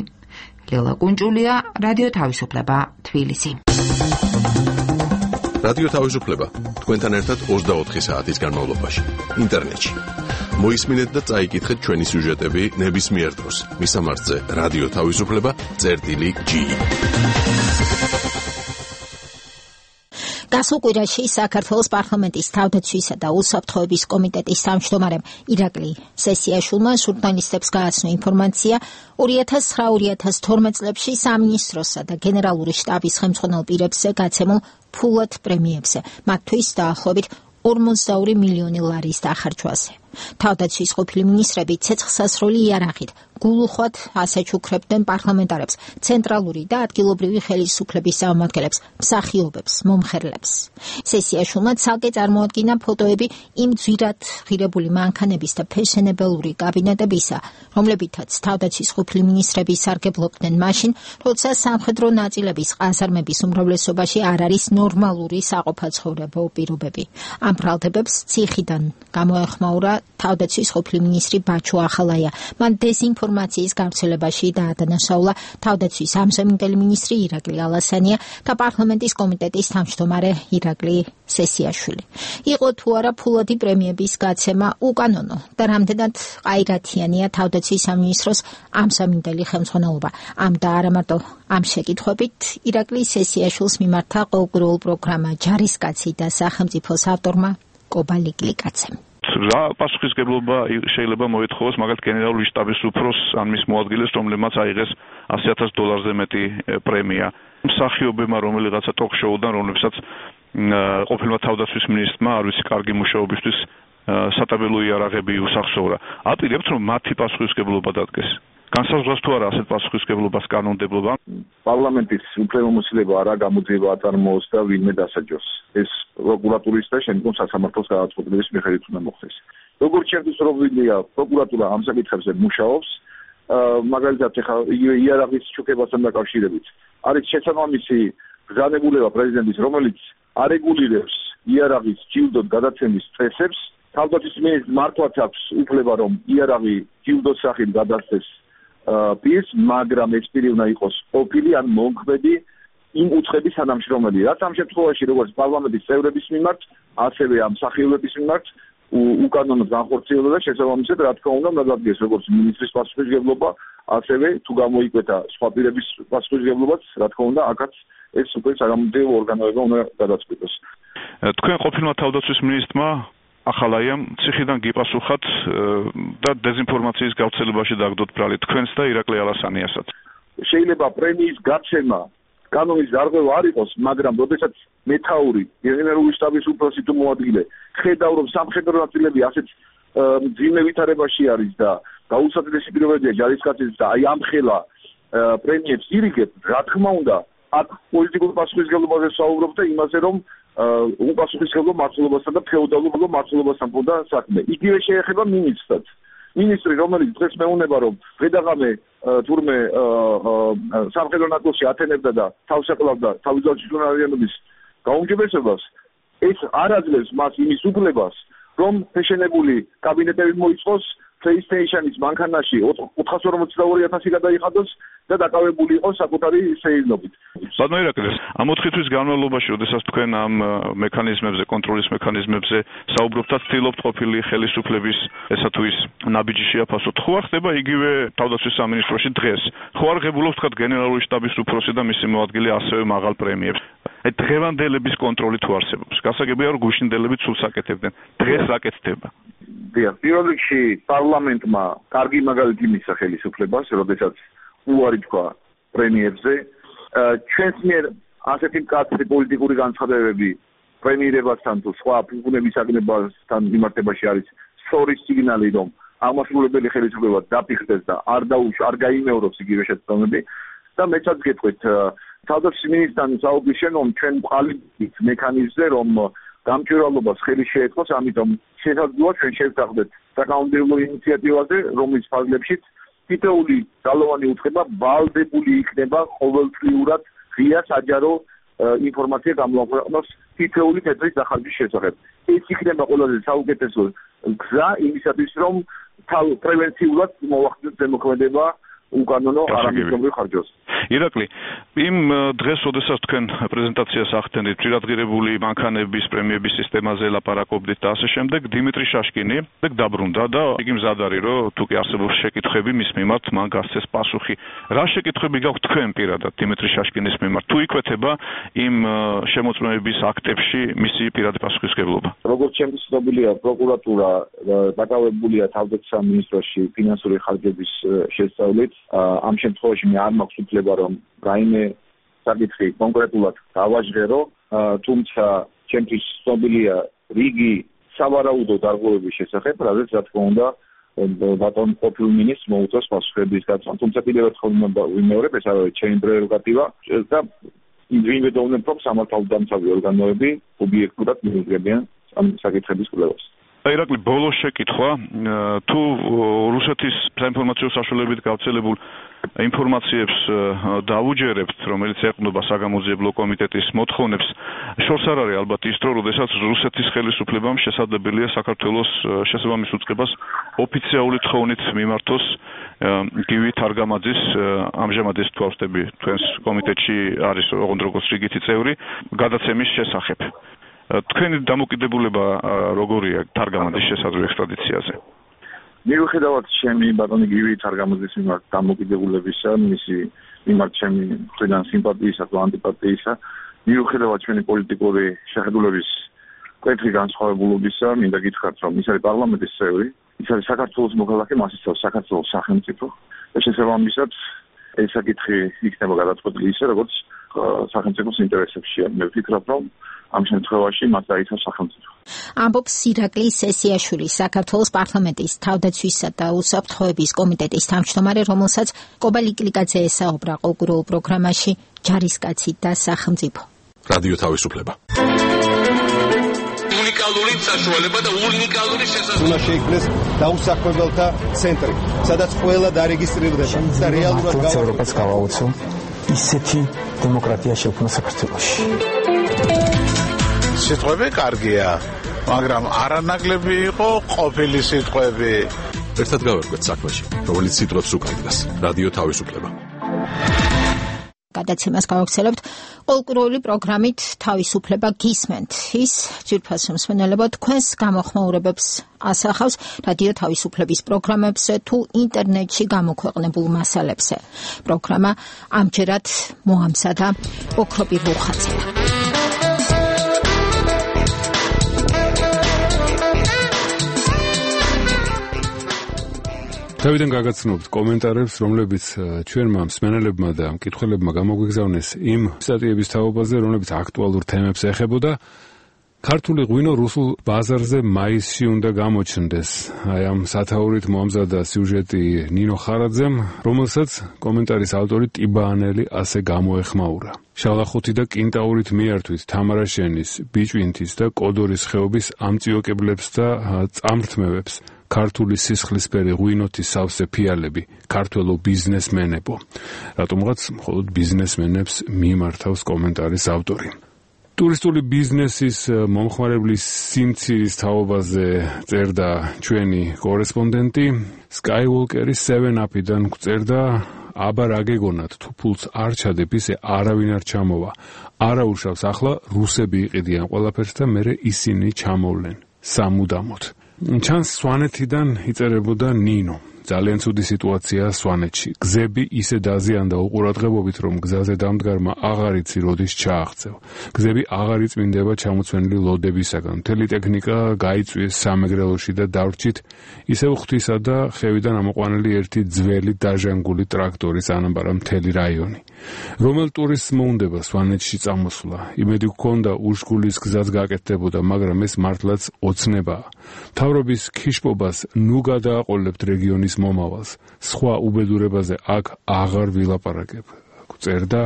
ლელა კუნჭულია, რადიო თავისუფლება, თბილისი. რადიო თავისუფლება თქვენთან ერთად ოცდაოთხი საათის განმავლობაში ინტერნეტში. მოისმინეთ და წაიკითხეთ ჩვენი სიუჟეტები ნებისმიერ დროს. მისამართზე რადიო თავისუფლება წერტილი ჯი. გასულ კვირაში საქართველოს პარლამენტის თავდაცვისა და უსაფრთხოების კომიტეტის თავმჯდომარემ ირაკლი სესიაშვილმა ჟურნალისტებს გააცნო ინფორმაცია ორი ათას ცხრა ორი ათას თორმეტ წლებში სამინისტროსა და გენერალური შტაბის ხელმძღვანელ პირებზე გაცემულ ფულად პრემიებზე, მათთვის დაახლოებით ორმოცდაორი მილიონი ლარის დახარჯვაზე. თავდაცვის ყოფილი მინისტრები ცეცხლსასროლი იარაღით გულუხვად ასაჩუქრებდნენ პარლამენტარებს, ცენტრალური და ადგილობრივი ხელისუფლების წარმომადგენლებს, მსახიობებს, მომხერლებს. სესიაშვილმა ცალკე წარმოადგინა ფოტოები იმ ძვირად ღირებული მანქანების და ფეშენებელური კაბინეტებისა, რომლებითაც თავდაცვის ყოფილი მინისტრები სარგებლობდნენ მაშინ, როცა სამხედრო ნაწილების ყაზარმების უმრავლესობაში არ არის ნორმალური საყოფაცხოვრებო პირობები. ამ ბრალდებებს ციხიდან გამოეხმაურა თავდაცვის ყოფილი მინისტრი ბაჩო ახალაია. მან დეზინფორმაციის გავრცელებაში დაადანაშაულა თავდაცვის ამჟამინდელი მინისტრი ირაკლი ალასანია და პარლამენტის კომიტეტის თავმჯდომარე ირაკლი სესიაშვილი. იყო თუ არა ფულადი პრემიების გაცემა უკანონო და რამდენად ყაირათიანია თავდაცვის სამინისტროს ამჟამინდელი ხელმძღვანელობა. ამ და არა მარტო ამ შეკითხვებით ირაკლი სესიაშვილს მიმართა ყოველკვირეულ პროგრამა ჯარისკაცი და სახელმწიფოს ავტორმა კობა ლიკლიკაცემ. რა პასუხისგებლობა შეიძლება მოეთხოვოს მაგალითად გენერალური შტაბის უფროსს ან მის მოადგილეს, რომლებმაც აიღეს ასი ათას დოლარზე მეტი პრემია. მსახიობებმა რომელიღაცა ტოქ-შოუდან, რომლებსაც ყოფილმა თავდაცვის მინისტრმა არ ვიცი კარგი მუშაობისთვის სატაბელო იარაღები უსახსოვრა. აპირებთ რომ მათი პასუხისგებლობა დადგეს. განსაზღვრავს თუ არა ასეთ პასუხისგებლობას კანონმდებლობა? პარლამენტის უფლებამოსილება არა გამოძიება აწარმოოს და ვინმე დასაჯოს. ეს პროკურატურის და შემდგომ სასამართლოს გადაწყვეტილების მიხედვით უნდა მოხდეს. როგორც შეგვიძლია პრობლემია, პროკურატურა ამ საკითხებზე მუშაობს, მაგალითად ეხლა იარაღის ჩუქებასთან დაკავშირებით. არის შესაბამისი ბრძანებულება პრეზიდენტის, რომელიც არეგულირებს იარაღის ჯილდოდ გადაცემის წესებს. თავდაცვის მინისტრს მართლაც აქვს უფლება, რომ იარაღი ჯილდოს სახით გადასცეს პირს, მაგრამ ეს პირი უნდა იყოს ყოფილი ან მომქმედი იმ უცხების თანამშრომელი. რაც ამ შემთხვევაში როგორც პარლამენტის წევრების მიმართ, ასევე ამ მსახიობების მიმართ უკანონო განხორციელება და შესაბამისად, რა თქმა უნდა, დადგეს როგორც მინისტრის პასუხისმგებლობა, ასევე თუ გამოიკვეთა სხვა პირების პასუხისმგებლობაც, რა თქმა უნდა, აქაც ეს უკვე საგამოძიებო ორგანოება უნდა გადაწყვიტოს. თქვენ ყოფილმა თავდაცვის მინისტრმა ახალაიამ ციხიდან გიპასუხათ და დეზინფორმაციის გავრცელებაში დაგდოთ ბრალი თქვენს და ირაკლი ალასანიასაც. შეიძლება პრემიის გაცემა კანონის დარღვევა არ იყოს, მაგრამ როდესაც მეთაური გენერალური შტაბის უფროსი თუ მოადგილე ხედავ რომ სამხედრო ნაწილები ასეთ მძიმე ვითარებაში არის და გაუსაძლისი პირობებია ჯარისკაცის და აი ამ ხელა პრემიებს ირიგებს, რა თქმა უნდა, აქ პოლიტიკურ პასუხისმგებლობაზე საუბრობ და იმაზე რომ უპასუხისმგებლო მმართველობასთან და ფეოდალურ მმართველობასთან პონდა საქმე. იგივე შეეხება მინისტრსაც. მინისტრი, რომელიც დღეს მეუნება რომ ღედაღამე თურმე სამხედრო ნაწილში ათენებდა და თავს ეყლავდა თავისუფლად ჟურნალისტების გაუმჯობესებას, ეს არ აძლევს მას იმის უფლებას, რომ შეშენებული კაბინეტები მოიწყოს, PlayStation-ის მანქანაში ოთხას ორმოცდა ორი ათასი გადაიხადოს და დაკავებული იყოს საკუთარი სეირნობით. ბატონო ირაკლი, ამ ოთხი თვის განმავლობაში, როდესაც თქვენ ამ მექანიზმებზე, კონტროლის მექანიზმებზე საუბრობთ, ცდილობთ ყოფილი ხელისუფლების ესა თუ ის ნაბიჯი შეაფასოთ. ხო არ ხდება იგივე თავდაცვის სამინისტროში დღეს? ხო არ ღებულობს თქვა გენერალური შტაბის უფროსი და მისი მოადგილე ასევე მაღალ პრემიებს? აი დღევანდელების კონტროლი თუ არსებობს. გასაგებია რომ გუშინდელები ცულს აკეთებდნენ. დღეს აკეთდება. დიახ, პირველ რიგში პარლამენტმა კარგი მაგალითი მისცა ხელისუფლებას, როდესაც უარი თქვა პრემიებზე. ჩვენს მიერ ასეთი მკაცრი პოლიტიკური განცხადებები პრემიერებასთან თუ სხვა ფუნქციონების აგნებასთან მიმართებაში არის სწორი სიგნალი, რომ აღმასრულებელი ხელისუფლება დაფიქრდეს და არ დაუშვა, არ გაიმეოროს იგივე შეცდომები და მეცაც გეტყვით თავდაცვის მინისტრთან საუბრის შემდგომ ჩვენ ვყალიბებთ მექანიზმზე, რომ გამჭვირვალობას ხელი შეეწყოს, ამიტომ შესაძლოა ჩვენ შევთანხმდეთ საკანონმდებლო ინიციატივაზე, რომლის ფარგლებშიც თითოეული ძალოვანი უწყება ვალდებული იქნება ყოველწლიურად ღია საჯარო ინფორმაცია გამოაქვეყნოს თითოეული თეთრის დახარჯვის შესახებ. ეს იქნება ყველაზე საუკეთესო გზა იმისათვის, რომ პრევენციულად მოვახდინოთ ზემოქმედება უკანონო არამიზნობრივ ხარჯოს. ირაკლი, იმ დღეს, როდესაც თქვენ პრეზენტაციას ახდენით პირადღირებული მანქანების პრემიების სისტემაზე ლაპარაკობდით და ასე შემდეგ, დიმიტრი შაშკინი დაბრუნდა და იგი მზად არის, რომ თუ კი არსებობს შეკითხვები მის მიმართ, მან გასცეს პასუხი. რა შეკითხვები გაქვთ თქვენ პირადად დიმიტრი შაშკინის მიმართ? თუ იკვეთება იმ შემოწმების აქტებში მისი პირადი პასუხისმგებლობა? როგორც ჩემთვის ცნობილია, პროკურატურა დაკავებულია თავდაცვის სამინისტროში ფინანსური ხარჯების შესწავლით. ამ შემთხვევაში მე არ მაქვს უფლება რომ რაიმე საკითხი კონკრეტულად დავაჟღერო, თუმცა ჩემთვის ცნობილია რიგი სავარაუდო დარღვევების შესახებ, რადგან რა თქმა უნდა ბატონ ყოფილ მინისტრს მოუწევს პასუხების გაცემა. თუმცა კიდევ ერთხელ ვიმეორებ, ეს არის ჩემი პრეროგატივა და ვიმედოვნებ, რომ სამართალდამცავი ორგანოები ობიექტურად მიუძღებიან ამ საკითხების კვლევას. ირაკლი, ბოლო შეკითხვა, თუ რუსეთის საინფორმაციო საშუალებებით გავრცელებულ ინფორმაციებს დაუჯერებთ, რომელიც ეყრდნობა საგამოძიებლო კომიტეტის მოთხოვნებს, შორს არ არის ალბათ ის დრო, როდესაც რუსეთის ხელისუფლებამ შესაძლებელია საქართველოს შესაბამის უწყებას ოფიციალური თხოვნით მიმართოს გივი თარგამაძის, ამჟამად ეს თვალსტები თქვენს კომიტეტში არის ოღონდ როგორც რიგითი წევრი, გადაცემის შესახებ. თქვენი დამოკიდებულება როგორია თარგამაძის შესაძლო ექსტრადიციაზე? მიუხედავად ჩემი ბატონი გივი თარგამაძის მიმართ დამოკიდებულებისა, მისი მიმართ ჩემი მხრიდან სიმპათიისა თუ ანტიპათიისა, მიუხედავად ჩვენი პოლიტიკური შეხედულების მკვეთრი განსხვავებულობისა, მინდა გითხრათ, რომ ის არის პარლამენტის წევრი, ის არის საქართველოს მოქალაქე, მას იცავს საქართველოს სახელმწიფო და შესაბამისად ეს საკითხი იქნება გადაწყვეტილი ისე, როგორც სახელმწიფოს ინტერესებშია. მე ვფიქრობ, რომ ამ შემთხვევაში მათ დაიცავს სახელმწიფო. ამბობს ირაკლი სესიაშვილი, საქართველოს პარლამენტის თავდაცვისა და უსაფრთხოების კომიტეტის თავმჯდომარე, რომელსაც კობალი კლიკაძე ესაუბრა ყოველდღიურ პროგრამაში ჯარისკაცი და სახელმწიფო. რადიო თავისუფლება. უნიკალური საშუალება და უნიკალური შესაძლებლობა. უნდა შეიქმნეს დაუსახმებელთა ცენტრი, სადაც ყველა დარეგისტრირდება და რეალურად ევროპას გავაუწევ ისეთი დემოკრატია შექმნა საქართველოში. სიტყვები კარგია, მაგრამ არანაკლები იყო ყოფილი სიტყვები. ერთად გავერკვეთ საქმეში, რომელიც სიტყვებს უკავშირდება. რადიო თავისუფლება. გადაცემას გავაგრძელებთ. Ყოველკვირეული პროგრამით თავისუფლება გისმენთ. ის ძვირფას მსმენელებო თქვენს გამოხმაურებებს ასახავს რადიო თავისუფლების პროგრამებზე თუ ინტერნეტში გამოქვეყნებულ მასალებზე. პროგრამა ამჯერად მოამზადა ოქროპი რუხაძე. თავიდან გაგაცნობთ კომენტარებს, რომლებიც ჩვენმა მსმენელებმა და მკითხველებმა გამოგვიგზავნეს იმ სტატიების თაობაზე, რომლებიც აქტუალურ თემებს ეხებოდა. ქართული ღვინო რუსულ ბაზარზე მაისში უნდა გამოჩნდეს. აი ამ სათაურით მოამზადა სიუჟეტი ნინო ხარაძემ, რომელსაც კომენტარის ავტორი ტიბაანელი ასე გამოეხმაურა. შალახუთი და კინტაურით მიართვით თამარა შენის, ბიჭვინთის და კოდორის ხეობის ამწიოკებლებს და წამრთმევებს. ქართული სისხლისფერი ღვინოთის სავსე ფიალები, ქართველო ბიზნესმენებო. რატომღაც მხოლოდ ბიზნესმენებს მიმართავს კომენტარის ავტორი. ტურისტული ბიზნესის მომხმარებლის სიმცირის თაობაზე წერდა ჩვენი კორესპონდენტი, Skywalker-ის seven up-დან წერდა, აბა რა გეგონათ, თუ ფულს არ ჩადებ, ისე არავინ არ ჩამოვა. არა უშავს, ახლა რუსები იყიდიან ყველაფერს და მერე ისინი ჩამოვლენ სამუდამოდ. ჩანს სვანეთიდან იწერებოდა ნინო. ძალიან ცუდი სიტუაცია სვანეთში. გზები ისე დაზიანდა უყურადღებობით, რომ გზაზე დამდგარმა აღარ იცი როდის ჩააღწევ. გზები აღარ იწმინდება ჩამოცვენილი ლოდებისაგან. მთელი ტექნიკა გაიწვიეს სამეგრელოში და დავრჩით ისევ ღვთისა და ხევიდან ამოყვანილი ერთი ძველი დაჟანგული ტრაქტორის ანაბარა მთელი რაიონი. რომელ ტურისტს მოუნდება სვანეთში წამოსვლა? იმედი გქონდა უშკულის გზაც გაკეთდებოდა, მაგრამ ეს მართლაც ოცნებაა. მთავრობის ქიშპობას ნუ გადააყოლებთ რეგიონის მომავალს. სხვა უბედურებაზე აქ აღარ ვილაპარაკებ. წერდა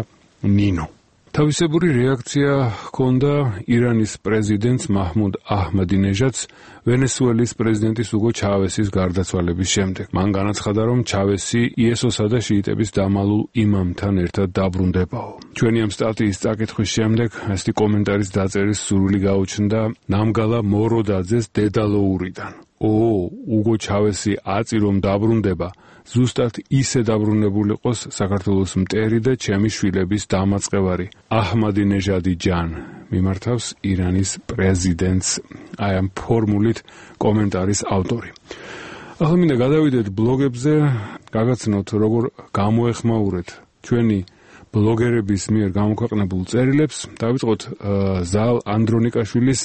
ნინო. თავისებური რეაქცია ჰქონდა ირანის პრეზიდენტს მაჰმუდ აჰმადინეჟადს ვენესუელის პრეზიდენტის უგო ჩავესის გარდაცვალების შემდეგ. მან განაცხადა, რომ ჩავესი იესოსა და შიიტების დამალულ იმამთან ერთად დაბრუნდებაო. ჩვენი ამ სტატიის წაკითხვის შემდეგ ასეთი კომენტარის დაწერის სურვილი გაუჩნდა ნამგალა მოროდაძეს დედალოურიდან. ო, უგო ჩავესი აწი რომ დაბრუნდება, ზუსტად ისე დაბრუნებულიყოს საქართველოს მტერი და ჩემი შვილების დამაწყევარი აჰმადინეჟადი ჯან. მიმართავს ირანის პრეზიდენტს აი ამ ფორმულით კომენტარის ავტორი. ახლა მინდა გადავიდეთ ბლოგებზე, გაგაცნოთ როგორ გამოეხმაურეთ ჩვენი ბლოგერების მიერ გამოქვეყნებულ წერილებს. დავიწყოთ ზალ ანდრონიკაშვილის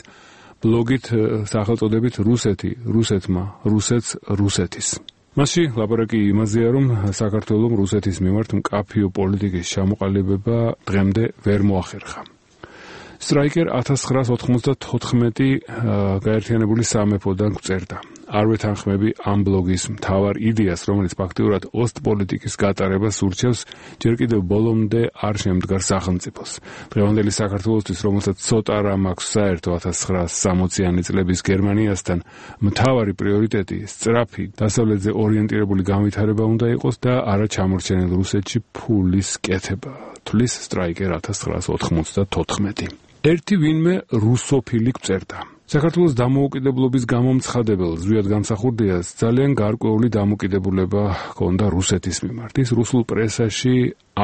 ბლოგით სახელწოდებით რუსეთი, რუსეთმა, რუსეთს, რუსეთის. მასში ლაპარაკი იმაზეა, რომ საქართველოს რუსეთის მიმართ მკაფიო პოლიტიკის ჩამოყალიბება დღემდე ვერ მოახერხა. Striker ათას ცხრაას ოთხმოცდათოთხმეტი გაერთიანებული სამეფოდან წერდა. არ ვეთანხმები ამ ბლოგის მთავარ იდეას, რომელიც ფაქტიურად ოსტპოლიტიკის გატარებას ურჩევს, ჯერ კიდევ ბოლომდე არ შემდგარ სახელმწიფოს. დღევანდელი საქართველოსთვის, რომელსაც ცოტა რამ აქვს საერთო ათას ცხრაას სამოციანი წლების გერმანიასთან, მთავარი პრიორიტეტი სწრაფი დასავლეთზე ორიენტირებული განვითარება უნდა იყოს და არა ჩამორჩენილ რუსეთში ფულის კეთება. თulis Striker ათას ცხრაას ოთხმოცდათოთხმეტი. ერთი ვინმე რუსოფილი წერდა. საქართველოს დამოუკიდებლობის გამომცხადებელ ზვიად გამსახურდიას ძალიან გარკვეული დამოკიდებულება ჰქონდა რუსეთის მიმართ. ის რუსულ პრესაში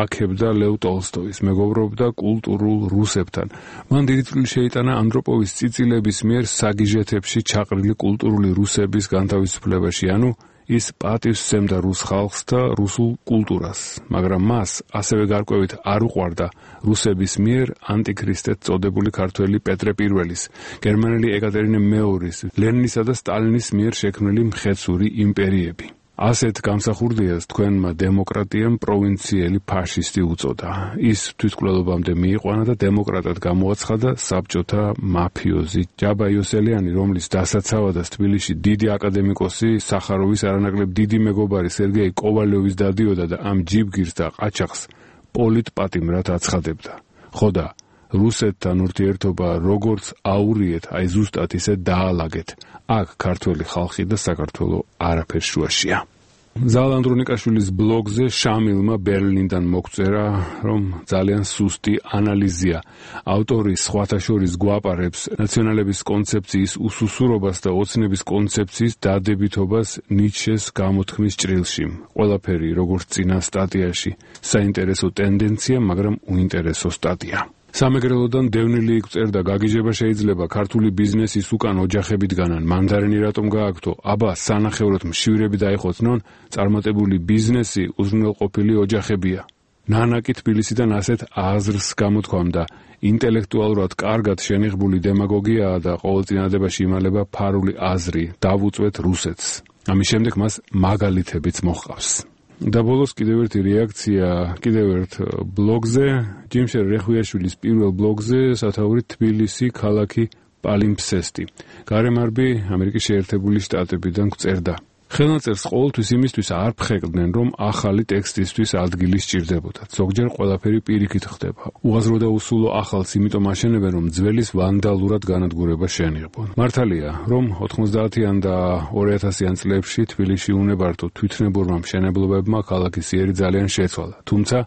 აქებდა ლევ ტოლსტოის, მეგობრობდა კულტურულ რუსებთან. მან დიდი წვლილი შეიტანა ანდროპოვის წიწილების მიერ საგიჟეთებში ჩაყრილი კულტურული რუსების განთავისუფლებაში, ანუ ის პატივს სცემდა რუს ხალხს და რუსულ კულტურას, მაგრამ მას ასევე გარკვევით არ უყვარდა რუსების მიერ ანტიქრისტეთ წოდებული ქართველი პეტრე პირველის, გერმანელი ეკატერინე მეორის, ლენინისა და სტალინის მიერ შექმნილი მხეცური იმპერიები. ასეთ გამსახურდიას თქვენმა დემოკრატიამ პროვინციელი ფაშისტი უწოდა. ის თვითმკვლელობამდე მიიყვანა და დემოკრატად გამოაცხადა საბჭოთა მაფიოზი ჯაბა იოსელიანი, რომლის დასაცავადას თბილისში დიდი აკადემიკოსი, სახაროვის არანაკლებ დიდი მეგობარი სერგეი კოვალიოვის დადიოდა და ამ ჯიბგირს და ყაჩაღს პოლიტპატიმრად აცხადებდა. ხოდა რუსეთთან ურთიერთობა როგორც აურიეთ, აი ზუსტად ისე დაალაგეთ. აქ ქართველი ხალხი და საქართველო არაფერ შუაშია. ზალ ანდრონიკაშვილის ბლოგზე შამილმა ბერლინიდან მოგწერა, რომ ძალიან სუსტი ანალიზია. ავტორი სხვათა შორის გვაპარებს ნაციონალების კონცეფციის უსუსურობას და ოცნების კონცეფციის დადებითობას ნიცშეს გამოთქმის ჭრილში. ყველაფერი როგორც წინა სტატიაში, საინტერესო ტენდენცია, მაგრამ უინტერესო სტატია. სამეგრელოდან დევნილი იქწერდა გაგიჟება შეიძლება ქართული ბიზნესის უკან ოჯახებით განან მანდარინი რატომ გააქვთო აბა სანახევროდ მშვიდები დაიხოცნონ წარმატებული ბიზნესი უზრუნველყოფილი ოჯახებია ნანაკი თბილისიდან ასეთ აზრს გამოთქვამდა ინტელექტუალურად კარგად შენიღბული დემაგოგიაა და ყოველწინადებაში იმალება ფარული აზრი დავუწვეთ რუსეთს ამის შემდეგ მას მაგალითებიც მოჰყავს და ბოლოს კიდევ ერთი რეაქცია კიდევ ერთ ბლოგზე ჯიმშერ რეხვიაშვილის პირველ ბლოგზე სათაური თბილისი ქალაქი პალიმფსესტი გარემარბი ამერიკის შეერთებული შტატებიდან გწერდა ხელნაწერს ყოველთვის იმისთვის არ ფხეკდნენ, რომ ახალი ტექსტისთვის ადგილი სჭირდებოდათ. ზოგჯერ ყველაფერი პირიქით ხდება. უაზრო და უსულო ახალს იმიტომ აშენებენ, რომ ძველის ვანდალურად განადგურება შეენიღბონ. მართალია, რომ ოთხმოცდაათიან და ორი ათასიან წლებში თბილისში უნებართო თვითნებურმა მშენებლობებმა ქალაქის იერი ძალიან შეცვალა. თუმცა,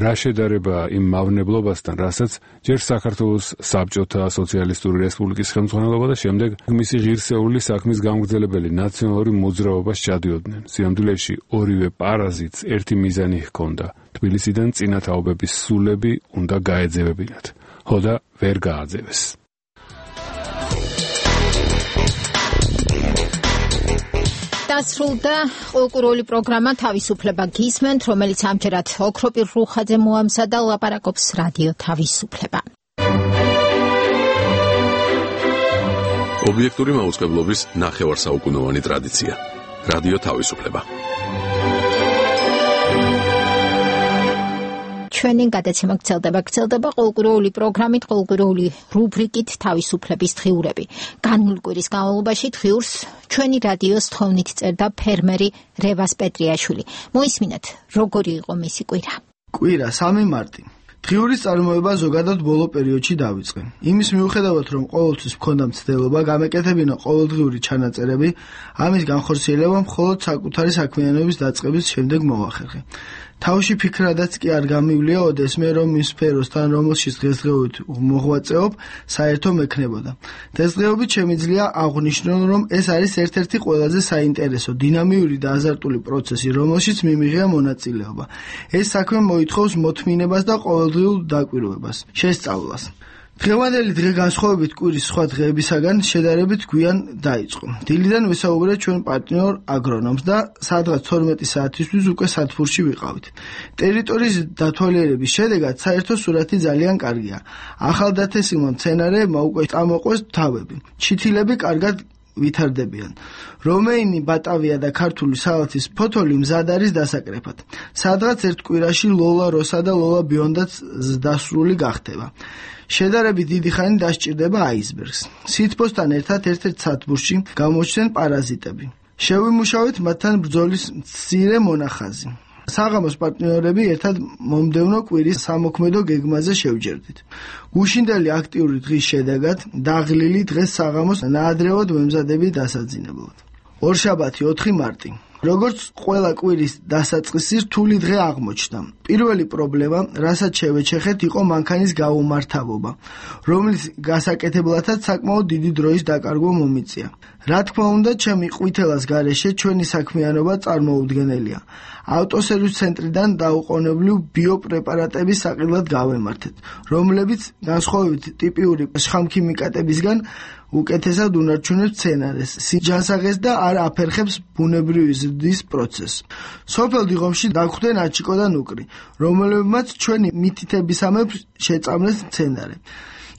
რა შედარება იმ მავნებლობასთან, რასაც ჯერ საქართველოს საბჭოთა სოციალისტური რესპუბლიკის ხელმძღვანელობა და შემდეგ მისი ღირსეული საქმის გამგრძელებელი ნაციონალური მოძრაობა ჩადიოდნენ. სიამდვილეში ორივე პარაზიტს ერთი მიზანი ჰქონდა. თბილისიდან წინათაობების სულები უნდა გაეძევებინათ. ხოდა ვერ გააძევეს. დასრულდა კულტურული პროგრამა თავისუფლება გისმენთ, რომელიც ამჯერად ოქროპირ რუხაძე მოამზადა ლაპარაკობს რადიო თავისუფლება. ობიექტური მაუწყებლობის ნახევარსაუკუნოვანი ტრადიცია. რადიო თავისუფლება. ჩვენი გადაცემა გრძელდება, გრძელდება კულტურული პროგრამით, კულტურული რუბრიკით თავისუფლების დღიურები. განმულ კვირის განმავლობაში დღიურს ჩვენი რადიოს თხოვნით წერდა ფერმერი რევას პეტრიაშვილი. მოისმინეთ, როგორი იყო მისი კვირა. კვირა სამი მარტი. დღიურის წარმოება ზოგადად ბოლო პერიოდში დავიწყე. იმის მიუხედავად, რომ ყოველთვის მქონდა მცდელობა გამეკეთებინა ყოველდღიური ჩანაწერები, ამის განხორციელება მხოლოდ საკუთარი საქმიანობის დაწყების შემდეგ მოახერხე. თავში ფიქრადაც კი არ გამივლია ოდესმე, რომ იმ სფეროსთან, რომელშიც დღესდღეობით მოღვაწეობ, საერთო მექნებოდა. დღესდღეობით შემიძლია აღვნიშნო, რომ ეს არის ერთ-ერთი ყველაზე საინტერესო, დინამიური და აზარტული პროცესი, რომელშიც მიმიღია მონაწილეობა. ეს საქმე მოითხოვს მოთმინებას და ყოველდღიურ დაკვირვებას, შესწავლას. დღევანდელი დღე განსხვავებით კვირის სხვა დღეებისაგან შედარებით გვიან დაიწყო. დილიდან ვესაუბრეთ ჩვენ პარტნიორ აგრონომს და სადღაც თორმეტი საათისთვის უკვე სათბურში ვიყავით. ტერიტორიის დათვალიერების შედეგად საერთო სურათი ძალიან კარგია. ახალდათესილმა მცენარეებმა უკვე წამოყვეს თავები. ჩითილები კარგად ვითარდებიან. რომეინი, ბატავია და ქართული სალათის ფოთოლი მზად არის დასაკრეფად. სადღაც ერთ კვირაში ლოლა როსა და ლოლა ბიონდაც დასრული გახდება. შედარებით დიდი ხანი დასჭირდება აისბერგს. სითბოსთან ერთად ერთ-ერთ სათბურში გამოჩნდნენ პარაზიტები. შევიმუშავეთ მათთან ბრძოლის მცირე მონახაზი. საღამოს პარტნიორები ერთად მომდევნო კვირის სამოქმედო გეგმაზე შევჯერდით. გუშინდელი აქტიური დღის შედეგად დაღლილი დღეს საღამოს ნაადრევად ვემზადები დასაძინებლად. ორშაბათი ოთხი მარტი. როგორც ყველა კვირის დასაწყისი რთული დღე აღმოჩნდა. პირველი პრობლემა, რასაც შევეჩეხეთ, იყო მანქანის გაუმართავობა, რომლის გასაკეთებლათაც საკმაოდ დიდი დროის დაკარგვა მომიწია. რა თქმა უნდა, ჩემი ყვითელას გარეშე ჩვენი საქმიანობა წარმოუდგენელია. ავტოსერვის ცენტრიდან დაუყოვნებლივ ბიოპრეპარატების საყიდლად გავემართეთ, რომლებიც განსხვავებით ტიპიური შხამქიმიკატებისგან უკეთესად უნარჩუნებს მცენარეს, სიჯანსაღეს და არ აფერხებს ბუნებრივი ზრდის პროცესს. სოფელ დიღომში დაგვხვდნენ აჩიკო და ნუკრი, რომლებმაც ჩვენი მითითებისამებრ შეწამლეს მცენარე.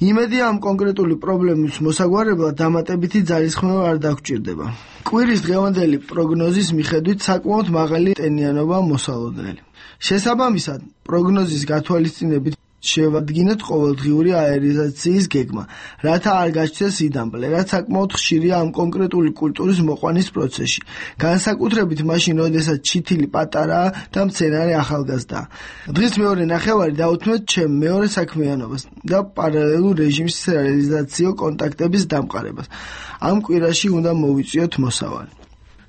იმედია ამ კონკრეტული პრობლემის მოსაგვარებლად დამატებითი ძალისხმევა არ დაგვჭირდება. კვირის დღევანდელი პროგნოზის მიხედვით საკმაოდ მაღალი ტენიანობა მოსალოდნელი. შესაბამისად, პროგნოზის გათვალისწინებით შევადგინეთ ყოველდღიური აერიზაციის გეგმა, რათა არ გაჩნდეს იდამპლე, რაც საკმაოდ ხშირია ამ კონკრეტული კულტურის მოყვანის პროცესში, განსაკუთრებით მაშინ, როდესაც ჩითილი პატარაა და მცენარე ახალგაზრდაა. დღის მეორე ნახევარი დაუთმეთ ჩემ მეორე საქმიანობას და პარალელურ რეჟიმის რეალიზაციო კონტაქტების დამყარებას. ამ კვირაში უნდა მოვიწიოთ მოსავალი.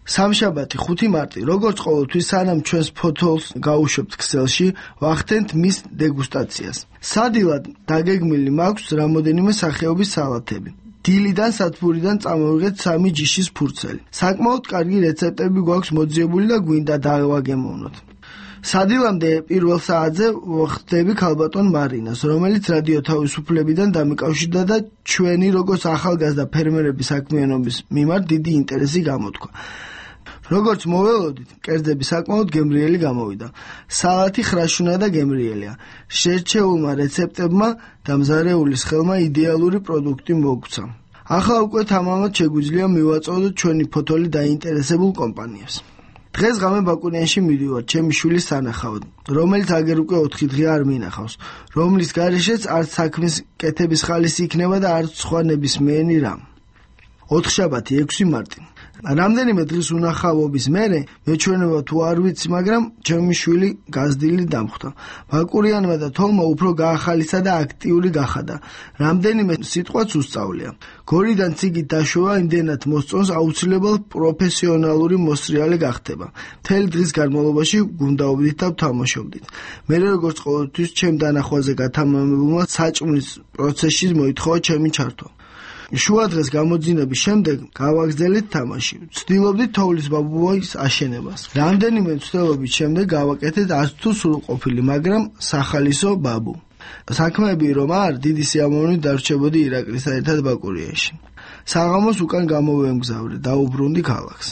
სამშაბათი ხუთი მარტი, როგორც ყოველთვის, სანამ ჩვენს ფოთოლს გაუშვებთ ქსელში, ვახდენთ მის დეგუსტაციას. სადილად დაგეგმილი მაქვს რამოდენიმე სახეობის სალათები. დილიდან სათბურიდან წამოვიღეთ სამი ჯიშის ფურცელი. საკმაოდ კარგი რეცეპტები გვაქვს მოძიებული და გვინდა დავაგემოვნოთ. სადილამდე პირველ საათზე ვხვდები ქალბატონ მარინას, რომელიც რადიო თავისუფლებიდან დამიკავშირდა და ჩვენი როგორც ახალგაზრდა ფერმერების საქმიანობის მიმართ დიდი ინტერესი გამოთქვა. როგორც მოველოდით, კერძები საკმაოდ გემრიელი გამოვიდა. სალათი ხრაშუნა და გემრიელია. შერჩეულმა რეცეპტებმა და მზარეულის ხელმა იდეალური პროდუქტი მოგცა. ახლა უკვე თამამად შეგვიძლია მივაწოდოთ ჩვენი ფოთოლი დაინტერესებულ კომპანიებს. დღეს ღამე ბაკურიანში მივიდივარ ჩემი შვილის სანახავად, რომელიც აგერ უკვე ოთხი დღე არ მინახავს, რომლის გარეშეც არც საქმის კეთების ხალისი იქნება და არც სხვა ნებისმიერი რამ. ოთხშაბათი ექვსი მარტი. რამდენიმე დღის უნახავობის მერე მეჩვენება თუ არ ვიცი, მაგრამ ჩემი შვილი გაზრდილი დამხვდა. ბაკურიანმა და თოლმა უფრო გაახალისა და აქტიური გახადა. რამდენიმე სიტყვაც უსწავლია. გორიდან ციგით დაშვება იმდენად მოსწონს, აუცილებელ პროფესიონალური მოსრიალე გახდება. მთელი დღის განმავლობაში გუნდაობდით და ვთამაშობდით. მე როგორც ყოველთვის ჩემ დანახვაზე გათამამებულმა საჭმლის პროცესში მოითხოვა ჩემი ჩართვა. შუა დღეს გამოძინების შემდეგ გავაგრძელეთ თამაში. ვცდილობდით თოვლის ბაბუის აშენებას. რამდენიმე მცდელობის შემდეგ გავაკეთეთ არც თუ სრულყოფილი, მაგრამ სახალისო ბაბუ. საქმეები რომ არ, დიდი სიამოვნებით დარჩებოდი ირაკლისთან ერთად ბაკურიაში. საღამოს უკან გამოვემგზავრე, დაუბრუნდი ქალაქს.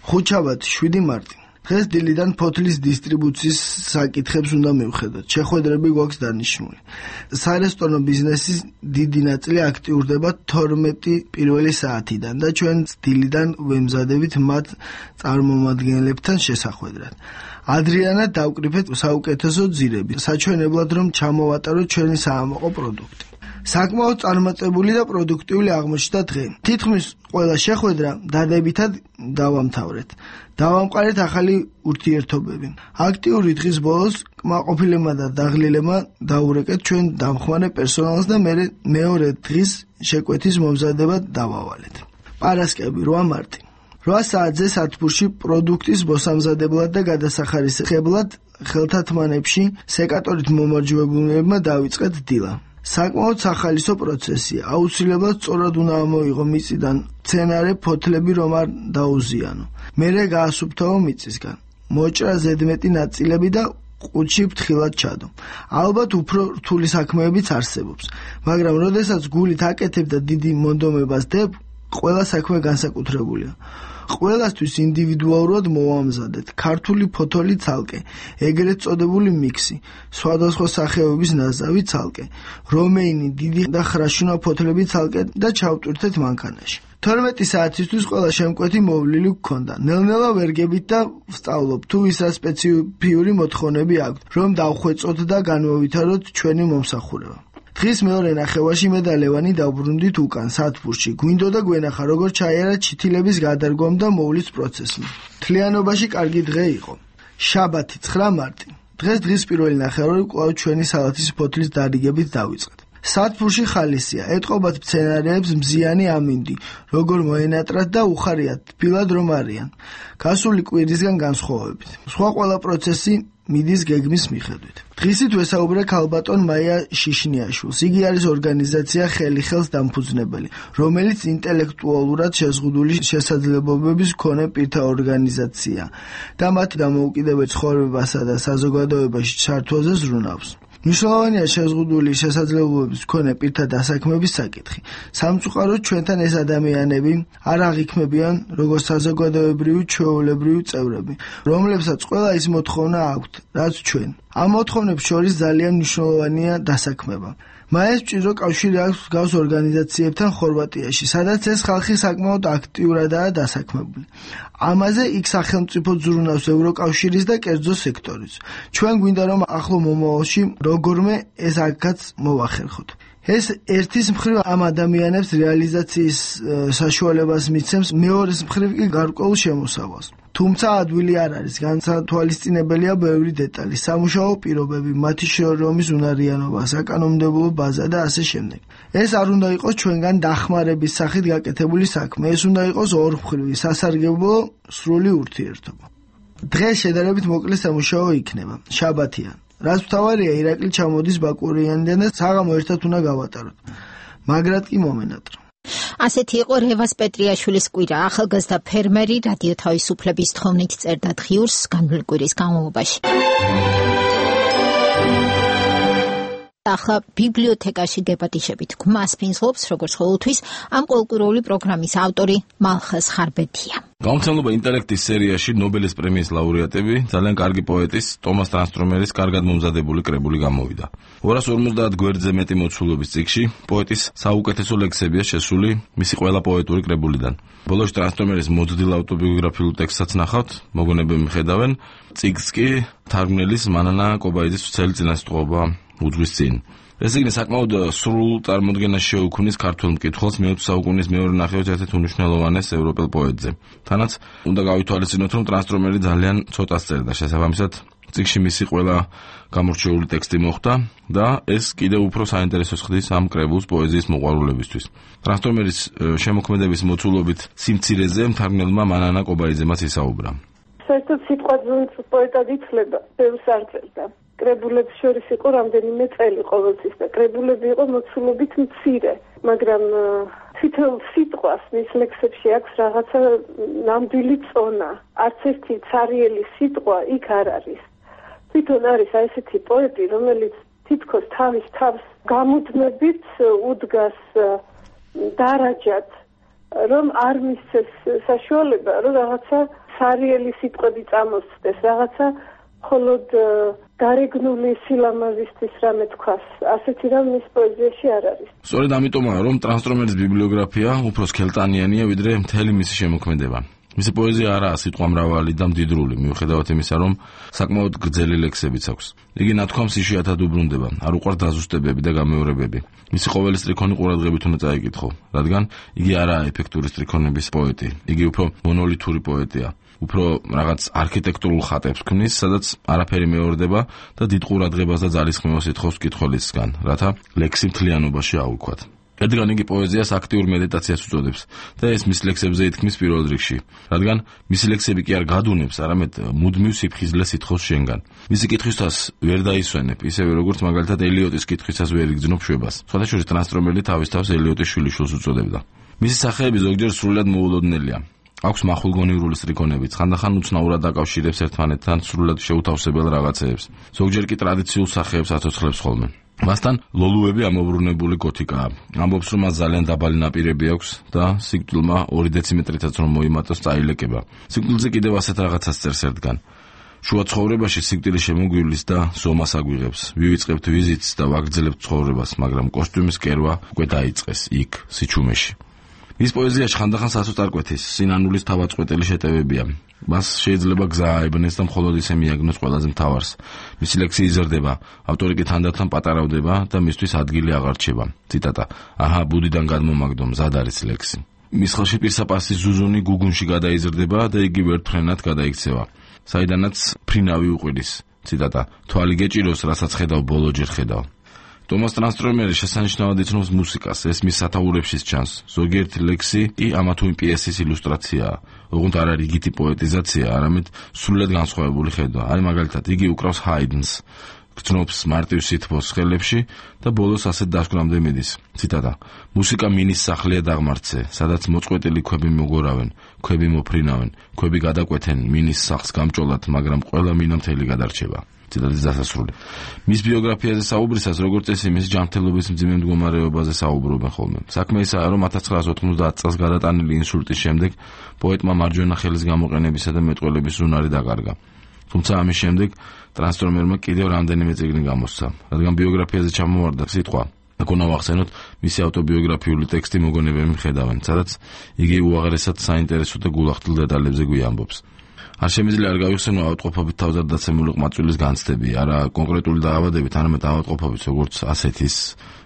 ხუთშაბათი შვიდი მარტი. დღეს დილიდან ფოთლის დისტრიბუციის საკითხებს უნდა მივხედოთ. შეხვედრები გვაქვს დანიშნული. სარესტორნო ბიზნესის დიდი ნაწილი აქტიურდება თორმეტი პირველი საათიდან და ჩვენ დილიდან ვემზადებით მათ წარმომადგენლებთან შესახვედრად. ადრიანად დავკრიფეთ საუკეთესო ძირები, საჩვენებლად რომ ჩამოვატაროთ ჩვენი საამაყო პროდუქტი. საკმაოდ წარმატებული და პროდუქტიული აღმოჩნდა დღე. თითქმის ყველა შეხვედრა დადებითად დავამთავრეთ. დავამყარეთ ახალი ურთიერთობები. აქტიური დღის ბოლოს კმაყოფილებმა და დაღლილებმა დაურეკეთ ჩვენ დამხმარე პერსონალს და მე მეორე დღის შეკვეთის მომზადებად დავავალეთ. პარასკევი რვა მარტი. რვა საათზე სათბურში პროდუქტის მოსამზადებლად და გადასახარისხებლად ხელთათმანებში სეკატორით მომარჯვებულმა დავიწყეთ დილა. საკმაოდ სახალისო პროცესია. აუცილებლად სწორად უნდა ამოიღო მიწიდან მცენარე ფოთლები რომ არ დაუზიანო. მერე გაასუფთავო მიწისგან. მოჭრა ზედმეტი ნაწილები და ყუთში ფრთხილად ჩადო. ალბათ უფრო რთული საქმეებიც არსებობს, მაგრამ როდესაც გულით აკეთებ და დიდი მონდომებას დებ, ყველა საქმე განსაკუთრებულია. ყველასთვის ინდივიდუალურად მოვამზადეთ ქართული ფოთოლი ცალკე, ეგრეთ წოდებული მიქსი, სხვადასხვა სახეობის ნაზავი ცალკე, რომეინი დიდი და ხრაშუნა ფოთლები ცალკე და ჩავტვირთეთ მანქანაში. თორმეტი საათისთვის ყველა შემკვეთი მოვლილი გქონდა. ნელ-ნელა ვერგებით და ვსწავლობ თუ ის რა სპეციფიური მოთხოვნები აქვს, რომ დავხვეწოთ და განვავითაროთ ჩვენი მომსახურება. დღის მეორე ნახევარში მე და ლევანი დავბრუნდით უკან სათბურში. გვინდოდა გვენახა როგორ ჩაიარა ჩითილების გადარგვამ და მოვლის პროცესმა. მთლიანობაში კარგი დღე იყო. შაბათი ცხრა მარტი. დღეს დღის პირველი ნახევარი კვლავ ჩვენი სალათის ფოთლის დარიგებით დავიწყეთ. სათბურში ხალისია, ეტყობათ მცენარეებს მზიანი ამინდი, როგორ მოენატრათ და უხარიათ თბილად რომ არიან. გასული კვირისგან განსხვავებით. სხვა ყველა პროცესი მიდის გეგმის მიხედვით. დღისით ვესაუბრე ქალბატონ მაია შიშნიაშვილს. იგი არის ორგანიზაცია ხელი ხელს დამფუძნებელი, რომელიც ინტელექტუალურად შეზღუდული შესაძლებლობების მქონე პირთა ორგანიზაცია და მათი დამოუკიდებელ ცხოვრებასა და საზოგადოებაში ჩართვაზე ზრუნავს. მნიშვნელოვანია შეზღუდული შესაძლებლობების მქონე პირთა დასაქმების საკითხი. სამწუხაროდ ჩვენთან ეს ადამიანები არ აღიქმებიან როგორც საზოგადოებრივი ჩვეულებრივი წევრები, რომლებსაც ყველა ის მოთხოვნა აქვთ, რაც ჩვენ. ამ მოთხოვნებს შორის ძალიან მნიშვნელოვანია დასაქმება. მაეს ჭირო კავშირი აქვს გავს ორგანიზაციებთან ხორვატიაში, სადაც ეს ხალხი საკმაოდ აქტიურადაა დასაქმებული. ამაზე იქ სახელმწიფო ზრუნავს ევროკავშირის და კერძო სექტორიც. ჩვენ გვინდა რომ ახლო მომავალში როგორმე ეს აქაც მოვახერხოთ. ეს ერთის მხრივ ამ ადამიანებს რეალიზაციის საშუალებას მიცემს, მეორეს მხრივ კი გარკვეულ შემოსავალს. თუმცა ადვილი არ არის, განსათვალისწინებელია ბევრი დეტალი, სამუშაო პირობები, მათი შრომის უნარიანობა, საკანონმდებლო ბაზა და ასე შემდეგ. ეს არ უნდა იყოს ჩვენგან დახმარების სახით გაკეთებული საქმე, ეს უნდა იყოს ორმხრივი, სასარგებლო, სრული ურთიერთობა. დღეს შედარებით მოკლე სამუშაო იქნება, შაბათია. რაც მთავარია, ირაკლი ჩამოდის ბაკურიანიდან და საღამო ერთად უნდა გავატაროთ. მაგრად კი მომენატრა. ასეთი იყო რევას პეტრიაშვილის კვირა, ახალგაზრდა ფერმერი რადიო თავისუფლების თხოვნით წერდა დღიურს განვლილი კვირის განმავლობაში. ახლა ბიბლიოთეკაში გეპატიშებით გმას ფინსლობს, როგორც ყოველთვის, ამ კულტურული პროგრამის ავტორი მალხაზ ხარბეთია. გამომცემლობა ინტელექტის სერიაში ნობელის პრემიის ლაურეატები ძალიან კარგი პოეტის ტომას ტრანსტრომერის კარგად მომზადებული კრებული გამოვიდა. ორას ორმოცდაათ გვერდზე მეტი მოცულობის წიგნში პოეტის საუკეთესო ლექსებია შესული მისი ყველა პოეტური კრებულიდან. ბოლოს ტრანსტრომერის მოძდილ ავტობიოგრაფიულ ტექსტსაც ნახავთ, მოგონებები მიხედავენ, წიგნს კი თარგმნელის მანანა კობაიძის ვრცელი წინასწრობა უძღვის წინ. ეს იგი საკმაოდ სრულ წარმოდგენას შეუქმნის ქართულ მკითხველს მეოცე საუკუნის მეორე ნახევარს ერთ-ერთ უმნიშვნელოვანეს ევროპელ პოეტზე. თანაც უნდა გავითვალისწინოთ, რომ ტრანსტრომერი ძალიან ცოტას წერდა, შესაბამისად წიგნში მისი ყველა გამორჩეული ტექსტი მოხვდა და ეს კიდევ უფრო საინტერესოს ხდის ამ კრებულს პოეზიის მოყვარულებისთვის. ტრანსტრომერის შემოქმედების მოცულობით სიმცირეზე მთარგმნელმა მანანა კობაიძემაც ისაუბრა. საერთოდ სიტყვა ძუნც პოეტად იცლება, ბევრს არ წერდა. კრებულებს შორის იყო რამდენიმე წელი ყოველთვის და კრებულები იყო მოცულობით მცირე, მაგრამ თვითონ სიტყვას მის ლექსებში აქვს რაღაცა ნამდვილი წონა. არც ერთი ცარიელი სიტყვა იქ არ არის. თვითონ არის აი ესეთი პოეტი, რომელიც თითქოს თავის თავს გამუდმებით უდგას დარაჯად, რომ არ მისცეს საშუალება, რომ რაღაცა ცარიელი სიტყვები წამოსცდეს, რაღაცა მხოლოდ გარეგნული სილამაზისთვის რამე თქვას. ასეთი რამ მის პოეზიაში არ არის. სწორედ ამიტომაა, რომ ტრანსტრომერის ბიბლიოგრაფია უფრო სქელტანიანია, ვიდრე მთელი მისი შემოქმედება. მისი პოეზია არაა სიტყვამრავალი და მდიდრული, მიუხედავად იმისა, რომ საკმაოდ გრძელი ლექსებიც აქვს. იგი ნათქვამს იშვიათად უბრუნდება, არ უყვარს დაზუსტებები და გამეორებები. მისი ყოველი სტრიქონი ყურადღებით უნდა წაიკითხო, რადგან იგი არაა ეფექტური სტრიქონების პოეტი. იგი უფრო მონოლითური პოეტია. უფრო რაღაც არქიტექტურულ ხატებს ქმნის, სადაც არაფერი მეორდება და დიდ ყურადღებას და ძალისხმევას ითხოვს მკითხველისგან, რათა ლექსი მთლიანობაში აუქვათ. რადგან იგი პოეზიას აქტიურ მედიტაციას უწოდებს და ეს მის ლექსებზე ითქმის პირველ რიგში, რადგან მისი ლექსები კი არ გადუნებს, არამედ მუდმივ სიფხიზლეს ითხოვს შენგან. მისი კითხვისას ვერ დაისვენებ, ისევე როგორც მაგალითად ელიოტის კითხვისას ვერ იგრძნობ შვებას. სხვადასხვა ტრანსტრომერი თავის თავს ელიოტის შვილიშვილს უწოდებდა. მისი სახეები ზოგჯერ სრულად მოულოდნელია. აქვს მახვილგონივრული სტრიქონებიც, ხანდახან უცნაურად დაკავშირებს ერთმანეთთან სრულად შეუთავსებელ რაღაცეებს. ზოგჯერ კი ტრადიციულ სახეებს აცოცხლებს ხოლმე. მასთან ლოლუები ამობრუნებული გოთიკაა. ამბობს, რომ მას ძალიან დაბალი ნაპირები აქვს და სიკვდილმა ორი დეციმეტრითაც რომ მოიმატოს წაილეკება. სიკვდილზე კიდევ ასეთ რაღაცას წერს ერთგან. შუა ცხოვრებაში სიკვდილი შემოგვივლის და ზომას აგვიღებს. ვივიწყებთ ვიზიტს და ვაგრძელებთ ცხოვრებას, მაგრამ კოსტიუმის კერვა უკვე დაიწყეს იქ, სიჩუმეში. მის პოეზიაში ხანდახან სასოწარკვეთის, სინანულის თავაწყვეტელი შეტევებია. მას შეიძლება გზა აებნეს და მხოლოდ ისე მიაგნოს ყველაზე მთავარს. მისი ლექსი იზრდება, ავტორი კი თანდათან პატარავდება და მისთვის ადგილი აღარ რჩება. ციტატა: აჰა, ბუდიდან გადმომაგდო, მზად არის ლექსი. მის ხელში პირსაპასის ზუზუნი გუგუნში გადაიზრდება და იგი ვერტფრენად გადაიქცევა, საიდანაც ფრინავი უყვირის. ციტატა: თვალი გეჭიროს, რასაც ხედავ, ბოლოჯერ ხედავ. ტომას ტრანსტრომერი შესანიშნავად იცნობს მუსიკას, ეს მის სათაურებშიც ჩანს. ზოგიერთი ლექსი კი ამა თუ იმ პიესის ილუსტრაციაა. ოღონდ არა რიგითი პოეტიზაცია, არამედ სრულად განსხვავებული ხედვა. აი მაგალითად, იგი უკრავს ჰაიდნს, გრძნობს მარტივ სითბოს ხელებში და ბოლოს ასეთ დასკვნამდე მიდის. ციტატა: მუსიკა მინის სახლია დაღმართზე, სადაც მოწყვეტილი ქვები მოგორავენ, ქვები მოფრინავენ, ქვები გადაკვეთენ მინის სახლს გამჭოლად, მაგრამ ყველა მინა მთელი გადარჩება. ციტატის დასასრული. მის ბიოგრაფიაზე საუბრისას, როგორც წესი, მის ჯანმრთელობის მძიმე მდგომარეობაზე საუბრობენ ხოლმე. საქმე ისაა, რომ ათას ცხრაას ოთხმოცდაათ წელს გადატანილი ინსულტის შემდეგ პოეტმა მარჯვენა ხელის გამოყენებისა და მეტყველების უნარი დაკარგა. თუმცა ამის შემდეგ ტრანსტრომერმა კიდევ რამდენიმე წიგნი გამოსცა, რადგან ბიოგრაფიაზე ჩამოვარდა სიტყვა. აქ უნდა ვახსენოთ მისი ავტობიოგრაფიული ტექსტი მოგონებები მიხედავენ, სადაც იგი უაღრესად საინტერესო და გულახდილ დეტალებზე გვიამბობს. არ შემიძლია არ გავიხსენო ავადმყოფობით თავზარდაცემული ყმაწვილის განცდები, არა კონკრეტული დაავადებით, არამედ ავადმყოფობით, როგორც ასეთის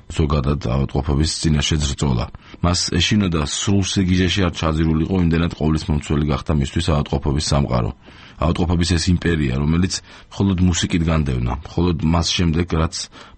ზოგადად ავადმყოფობის წინაშე ზრწოლა. მას ეშინოდა სრულ სიგიჟეში არ ჩაძირულიყო, იმდენად ყოვლისმომცველი გახდა მისთვის ავადმყოფობის სამყარო. ავადმყოფობის ეს იმპერია, რომელიც მხოლოდ მუსიკით განდევნა, მხოლოდ მას შემდეგ, რაც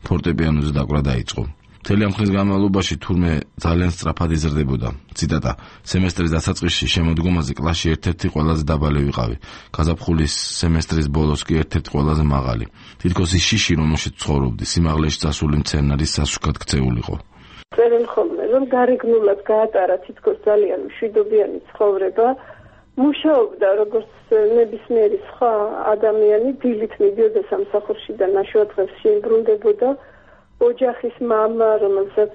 ფორტეპიანოზე დაკვრა დაიწყო. მთელი ამ ხნის განმავლობაში თურმე ძალიან სწრაფად იზრდებოდა. ციტატა: სემესტრის დასაწყისში შემოდგომაზე კლასში ერთ-ერთი ყველაზე დაბალი ვიყავი. გაზაფხულის სემესტრის ბოლოს კი ერთ-ერთი ყველაზე მაღალი. თითქოს ის შიში, რომელშიც ცხოვრობდი, სიმაღლეში წასული მცენარის სასუქად ქცეულიყო. წერენ ხოლმე, რომ გარეგნულად გაატარა თითქოს ძალიან მშვიდობიანი ცხოვრება, მუშაობდა როგორც ნებისმიერი სხვა ადამიანი, დილით მიდიოდა სამსახურში და ნაშოადღეს შეიბრუნდებოდა. ოჯახის მამა, რომელსაც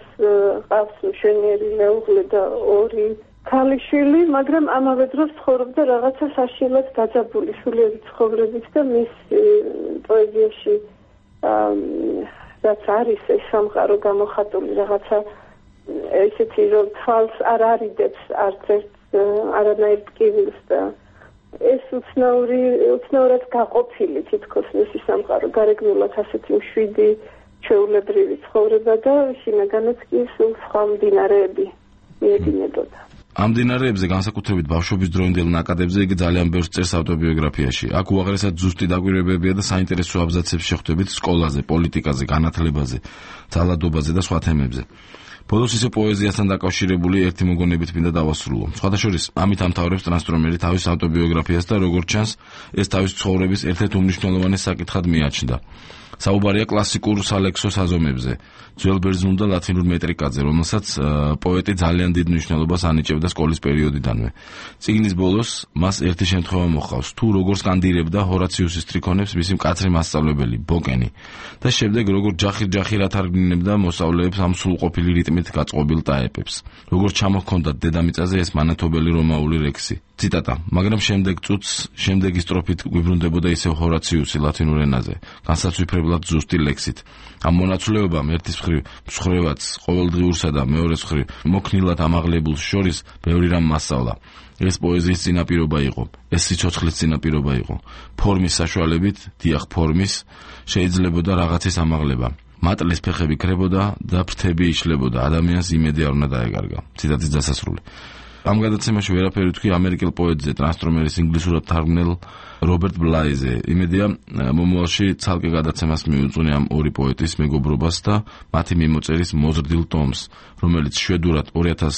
ყავს მშვენიერი მეუღლე და ორი ქალიშვილი, მაგრამ ამავე დროს ცხოვრობდა რაღაცა საშინლად დაძაბული სულიერი ცხოვრებით და მის პოეზიაში რაც არის ეს სამყარო გამოხატული რაღაცა ესეთი რომ თვალს არ არიდებს არც ერთ არანაირ ტკივილს და ეს უცნაური უცნაურად გაყოფილი თითქოს მისი სამყარო გარეგნულად ასეთი მშვიდი ჩვეულებრივი ცხოვრება და შინაგანაც კი სულ სხვა მდინარეები მიედინებოდა. ამ მდინარეებზე განსაკუთრებით ბავშვობის დროინდელ ნაკადებზე იგი ძალიან ბევრს წერს ავტობიოგრაფიაში. აქ უაღრესად ზუსტი დაკვირვებებია და საინტერესო აბზაცებს შეხვდებით სკოლაზე, პოლიტიკაზე, განათლებაზე, ძალადობაზე და სხვა თემებზე. ბოლოს ისე პოეზიასთან დაკავშირებული ერთი მოგონებით მინდა დავასრულო. სხვადასხვა ამით ამთავრებს ტრანსტრომერი თავის ავტობიოგრაფიას და როგორც ჩანს, ეს თავის ცხოვრების ერთ-ერთ უმნიშვნელოვანეს საკითხად მიაჩნდა. საუბარია კლასიკურ სალექსო საზომებზე, ძველ ბერძნულ და ლათინურ მეტრიკაზე, რომელსაც პოეტი ძალიან დიდ მნიშვნელობას ანიჭებდა სკოლის პერიოდიდანვე. წიგნის ბოლოს მას ერთი შემთხვევა მოჰყავს, თუ როგორ სკანდირებდა ჰორაციუსის ტრიქონებს მისი მკაცრი მასწავლებელი ბოკენი და შემდეგ როგორ ჯახირ-ჯახირ ათარგმნებდა მოსწავლეებს ამ სრულყოფილი რიტმით გაწყობილ ტაეპებს. როგორ ჩამოჰქონდათ დედამიწაზე ეს მანათობელი რომაული რექსი. ციტატა: მაგრამ შემდეგ წუთს, შემდეგი სტროფით გვიბრუნდებოდა ისევ ჰორაციუსი ლათინურ ენაზე, განსაცვიფრებლად ზუსტი ლექსით. ამ მონაცვლეობამ ერთის მხრივ მსხრევაც ყოველდღიურსა და მეორეს მხრივ მოქნილად ამაღლებულს შორის ბევრი რამ მასწავლა. ეს პოეზიის წინაპირობა იყო, ეს სიცოცხლის წინაპირობა იყო. ფორმის საშუალებით, დიახ ფორმის, შეიძლებოდა რაღაცის ამაღლება. მატლის ფეხები ქრებოდა და ფრთები იშლებოდა, ადამიანს იმედი არ უნდა დაეკარგა. ციტატის დასასრული. ამ გადაცემაში ვერაფერი თქვი ამერიკელ პოეტზე, ტრანსტრომერის ინგლისურად თარგმნელ რობერტ ბლაიზე. იმედია, მომავალში ცალკე გადაცემას მიუძღვნი ამ ორი პოეტის მეგობრობას და მათი მიმოწერის მოზრდილ ტომს, რომელიც შვედურად ორი ათას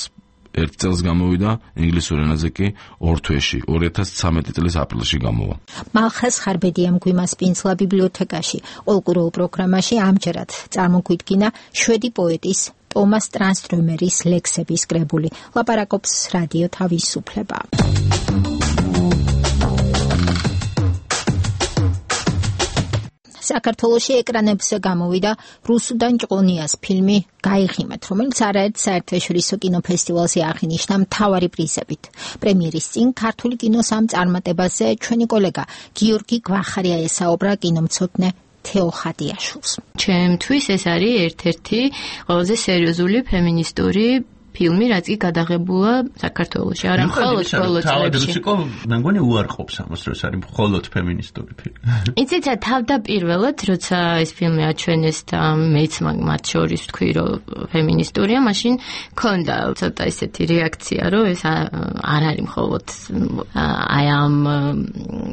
ერთ წელს გამოვიდა, ინგლისურ ენაზე კი ორ თვეში, ორი ათას ცხრამეტი წლის აპრილში გამოვა. მალხაზ ხარბედიამ გვიმასპინძლა ბიბლიოთეკაში. ყოველკვირეულ პროგრამაში ამჯერად წარმოგვიდგინა შვედი პოეტის ტომას ტრანსტრომერის ლექსების კრებული. ლაპარაკობს რადიო თავისუფლება. საქართველოში ეკრანებზე გამოვიდა რუსუდან ჭყონიას ფილმი გაიღიმეთ, რომელიც არაერთ საერთაშორისო კინოფესტივალზე აღინიშნა მთავარი პრიზებით. პრემიერის წინ ქართული კინოს ამ წარმატებაზე ჩვენი კოლეგა გიორგი გვახარია ესაუბრა კინომცოდნე თეო ხადიაშვილს. ჩემთვის ეს არის ერთ-ერთი ყველაზე სერიოზული ფემინისტური ფილმი, რაც კი გადაღებულა საქართველოში, არა მხოლოდ ბოლო წლებში. მე მგონი უარყოფს ამას, რომ ეს არის მხოლოდ ფემინისტური ფილმი. იცით, თავდაპირველად, როცა ეს ფილმი აჩვენეს და მეც მათ შორის ვთქვი, რომ ფემინისტურია, მაშინ მქონდა ცოტა ისეთი რეაქცია, რომ ეს არ არის მხოლოდ აი ამ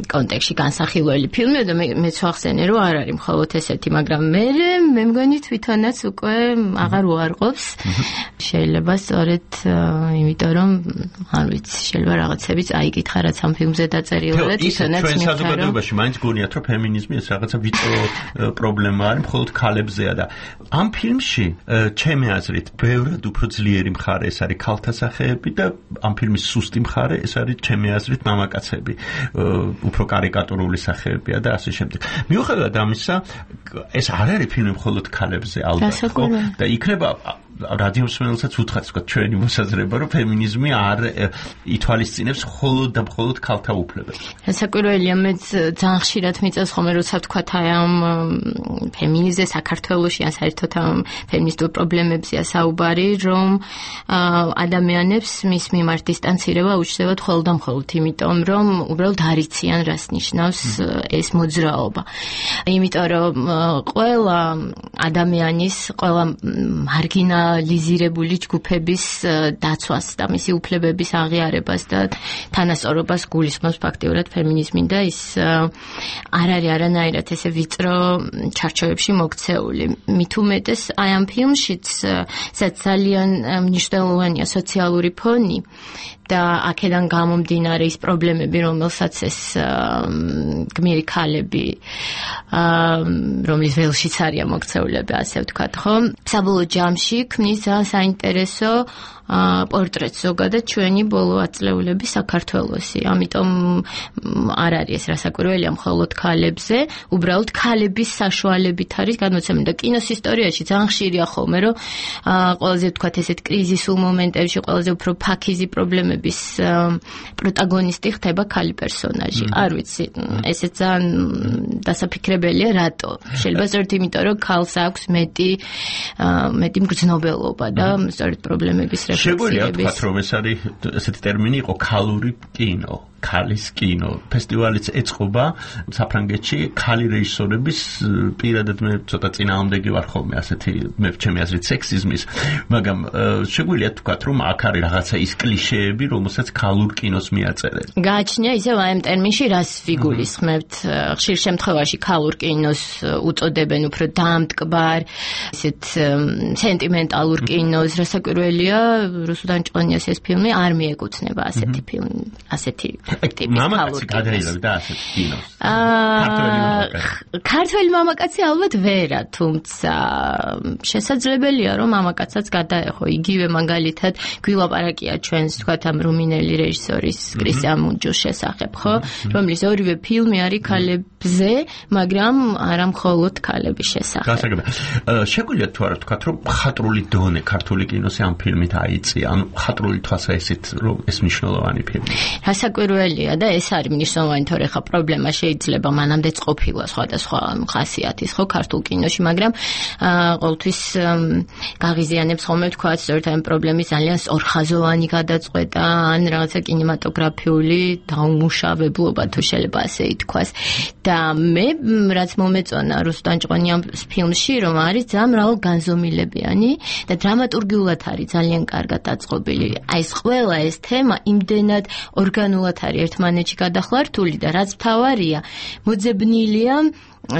კონტექსტში განსახილველი ფილმი და მეც ვახსენე, რომ არ არის მხოლოდ ესეთი, მაგრამ მე მე მგონი თვითონაც უკვე აღარ უარყოფს. შეიძლება სწორედ იმიტომ რომ არ ვიცი, შეიძლება რაღაცებიც აიკითხა რაც ამ ფილმზე დაწერილი და თვითონაც ჩვენ საზოგადოებაში მაინც გონიათ რომ ფემინიზმი ეს რაღაცა ვიწრო პრობლემა არის, მხოლოდ ქალებზეა და ამ ფილმში ჩემი აზრით ბევრად უფრო ძლიერი მხარე ეს არის ქალთა სახეები და ამ ფილმის სუსტი მხარე ეს არის ჩემი აზრით მამაკაცები, უფრო კარიკატურული სახეებია და ასე შემდეგ. მიუხედავად ამისა, ეს არ არის ფილმი მხოლოდ ქალებზე ალბათ, ხო? და იქნება რადიო მსმენელსაც უთხრას ვთქვათ ჩვენი მოსაზრება, რომ ფემინიზმი არ ითვალისწინებს მხოლოდ და მხოლოდ ქალთა უფლებებს. საკვირველია, მეც ძალიან ხშირად მიწევს ხოლმე, როცა ვთქვათ აი ამ ფემინიზმზე საქართველოში ან საერთოდ ამ ფემინისტურ პრობლემებზეა საუბარი, რომ ადამიანებს მის მიმართ დისტანცირება უჩნდებათ მხოლოდ და მხოლოდ იმიტომ, რომ უბრალოდ არ იციან რას ნიშნავს ეს მოძრაობა. იმიტომ რომ ყველა ადამიანის, ყველა მარგინა ლიზირებული ჯგუფების დაცვას და მისი უფლებების აღიარებას და თანასწორობას გულისხმობს ფაქტიურად ფემინიზმი და ის არ არის არანაირად ესე ვიწრო ჩარჩოებში მოქცეული. მით უმეტეს აი ამ ფილმშიც, სადაც ძალიან მნიშვნელოვანია სოციალური ფონი და აქედან გამომდინარე ის პრობლემები, რომელსაც ეს გმირი ქალები, რომლის ველშიც არიან მოქცეულები, ასე ვთქვათ, ხო? საბოლოო ჯამში ქმნის ძალიან საინტერესო პორტრეტს ზოგადად ჩვენი ბოლო ათწლეულების საქართველოსი. ამიტომ არ არის ეს რასაკვირველია მხოლოდ ქალებზე, უბრალოდ ქალების საშუალებით არის გადმოცემული და კინოს ისტორიაში ძალიან ხშირია ხოლმე, რომ ყველაზე ვთქვათ ესეთ კრიზისულ მომენტებში ყველაზე უფრო ფაქიზი პრობლემების პროტაგონისტი ხდება ქალი პერსონაჟი. არ ვიცი, ესე ძალიან დასაფიქრებელია, რატო? შეიძლება სწორედ იმიტომ, რომ ქალს აქვს მეტი მეტი მგრძნობელობა და სწორედ პრობლემების შეგვიძლია ვთქვათ, რომ ეს არის ესეთი ტერმინი იყო ქალური კინო. ქალის კინო ფესტივალიც ეწყობა საფრანგეთში ქალი რეჟისორების პირადად მე ცოტა წინააღმდეგი ვარ ხოლმე ასეთი მე ჩემი აზრით სექსიზმის, მაგრამ შეგვიძლია ვთქვათ, რომ აქ არის რაღაცა ის კლიშეები, რომელსაც ქალურ კინოს მიაწერენ. გააჩნია ისევ აი ამ ტერმინში რას ვიგულისხმებთ? ხშირ შემთხვევაში ქალურ კინოს უწოდებენ უფრო დამტკბარ, ისეთ სენტიმენტალურ კინოს, რასაკვირველია, რუსუდან ჭყონიას ეს ფილმი არ მიეკუთვნება ასეთი ფილმი, ასეთი მამაკაცი გადაიღებდა ასეთ კინოს. ქართველი მამაკაცი ალბათ ვერა, თუმცა შესაძლებელია რომ მამაკაცაც გადაეხო. იგივე მაგალითად გვილაპარაკია ჩვენს თქვათ ამ რუმინელი რეჟისორის კრისტიან მუნჯოს შესახებ, ხო? რომლის ორივე ფილმი არის ქალებზე, მაგრამ არა მხოლოდ ქალების შესახებ. გასაგებია. შეგვიძლია თუ არა ვთქვათ, რომ ხატრული დონე ქართული კინოს ამ ფილმით აიწია, ანუ ხატრული თვალსაზრისით რომ ეს მნიშვნელოვანი ფილმი. რასაკვირველია და ეს არის მნიშვნელოვანი, თორე ხა პრობლემა შეიძლება მანამდეც ყოფილა სხვადასხვა ხასიათის, ხო, ქართულ კინოში, მაგრამ ყოველთვის გაღიზიანებს ხოლმე ვთქვათ, სწორედ ამ პრობლემის ძალიან ორხაზოვანი გადაწყვეტა ან რაღაცა კინემატოგრაფიული დაუმუშავებლობა, თუ შეიძლება ასე ითქვას. და მე რაც მომეწონა რუსუდან ჭყონიას ფილმში, რომ არის ძალიან მრავალგანზომილებიანი და დრამატურგიულად არის ძალიან კარგად დაწყობილი. აი ეს ყველა ეს თემა იმდენად ორგანულად არის ერთმანეთში გადახლართული და რაც მთავარია, მოძებნილია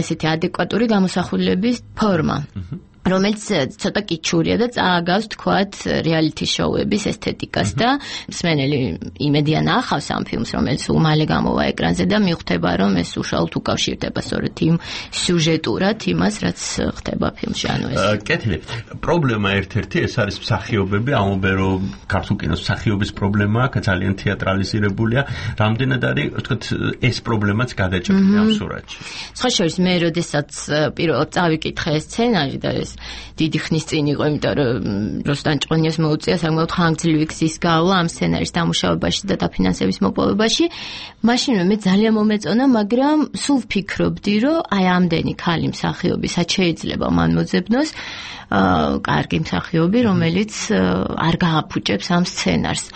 ესეთი ადეკვატური გამოსახულების ფორმა. რომელიც ცოტა კიჩურია და წააგავს თქვათ რეალიტი შოუების ესთეტიკას და მსმენელი იმედია ნახავს ამ ფილმს, რომელიც უმალე გამოვა ეკრანზე და მიხვდება, რომ ეს უშუალოდ უკავშირდება სწორედ იმ სიუჟეტურად იმას, რაც ხდება ფილმში. ანუ ეს კეთილი. პრობლემა ერთ-ერთი ეს არის მსახიობები, ამობე რომ ქართულ კინოს მსახიობის პრობლემა აქ ძალიან თეატრალიზირებულია. რამდენად არის თქვათ ეს პრობლემაც გადაჭრილი ამ სურათში. სხვა შორის მე როდესაც პირველად წავიკითხე ეს სცენარი და ეს დიდი ხნის წინ იყო, იმიტომ რომ რუსუდან ჭყონიას მოუწია საკმაოდ ხანგრძლივი გზის გავლა ამ სცენარის დამუშავებაში და დაფინანსების მოპოვებაში. მაშინვე მე ძალიან მომეწონა, მაგრამ სულ ვფიქრობდი, რომ აი ამდენი ქალი მსახიობი სად შეიძლება მან მოძებნოს კარგი მსახიობი, რომელიც არ გააფუჭებს ამ სცენარს.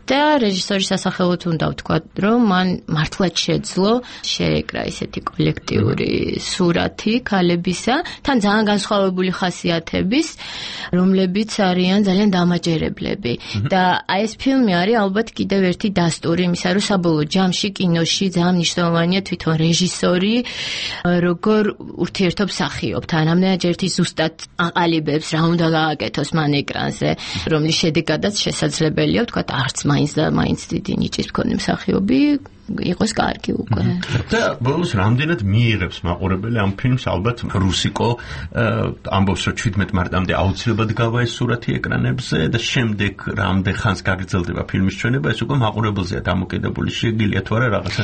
და რეჟისორის სასახელოდ უნდა ვთქვათ, რომ მან მართლაც შეძლო შეეკრა ესეთი კოლექტიური სურათი ქალებისა, თან ძალიან განსხვავებული ხასიათების, რომლებიც არიან ძალიან დამაჯერებლები. და აი ეს ფილმი არის ალბათ კიდევ ერთი დასტური იმისა, რომ საბოლოო ჯამში კინოში ძალიან მნიშვნელოვანია თვითონ რეჟისორი, როგორ ურთიერთობს მსახიობთან. ამდენად ერთი ზუსტად აყალიბებს რა უნდა გააკეთოს მან ეკრანზე, რომლის შედეგადაც შესაძლებელია ვთქვათ არც მაინც და მაინც დიდი ნიჭის მქონე მსახიობი იყოს კარგი უკვე. და ბოლოს რამდენად მიიღებს მაყურებელი ამ ფილმს, ალბათ რუსიკო ამბობს, რომ შვიდმეტ მარტამდე აუცილებლად გავა ეს სურათი ეკრანებზე და შემდეგ რამდენ ხანს გაგრძელდება ფილმის ჩვენება, ეს უკვე მაყურებელზეა დამოკიდებული. შეგიძლია თუ არა რაღაცა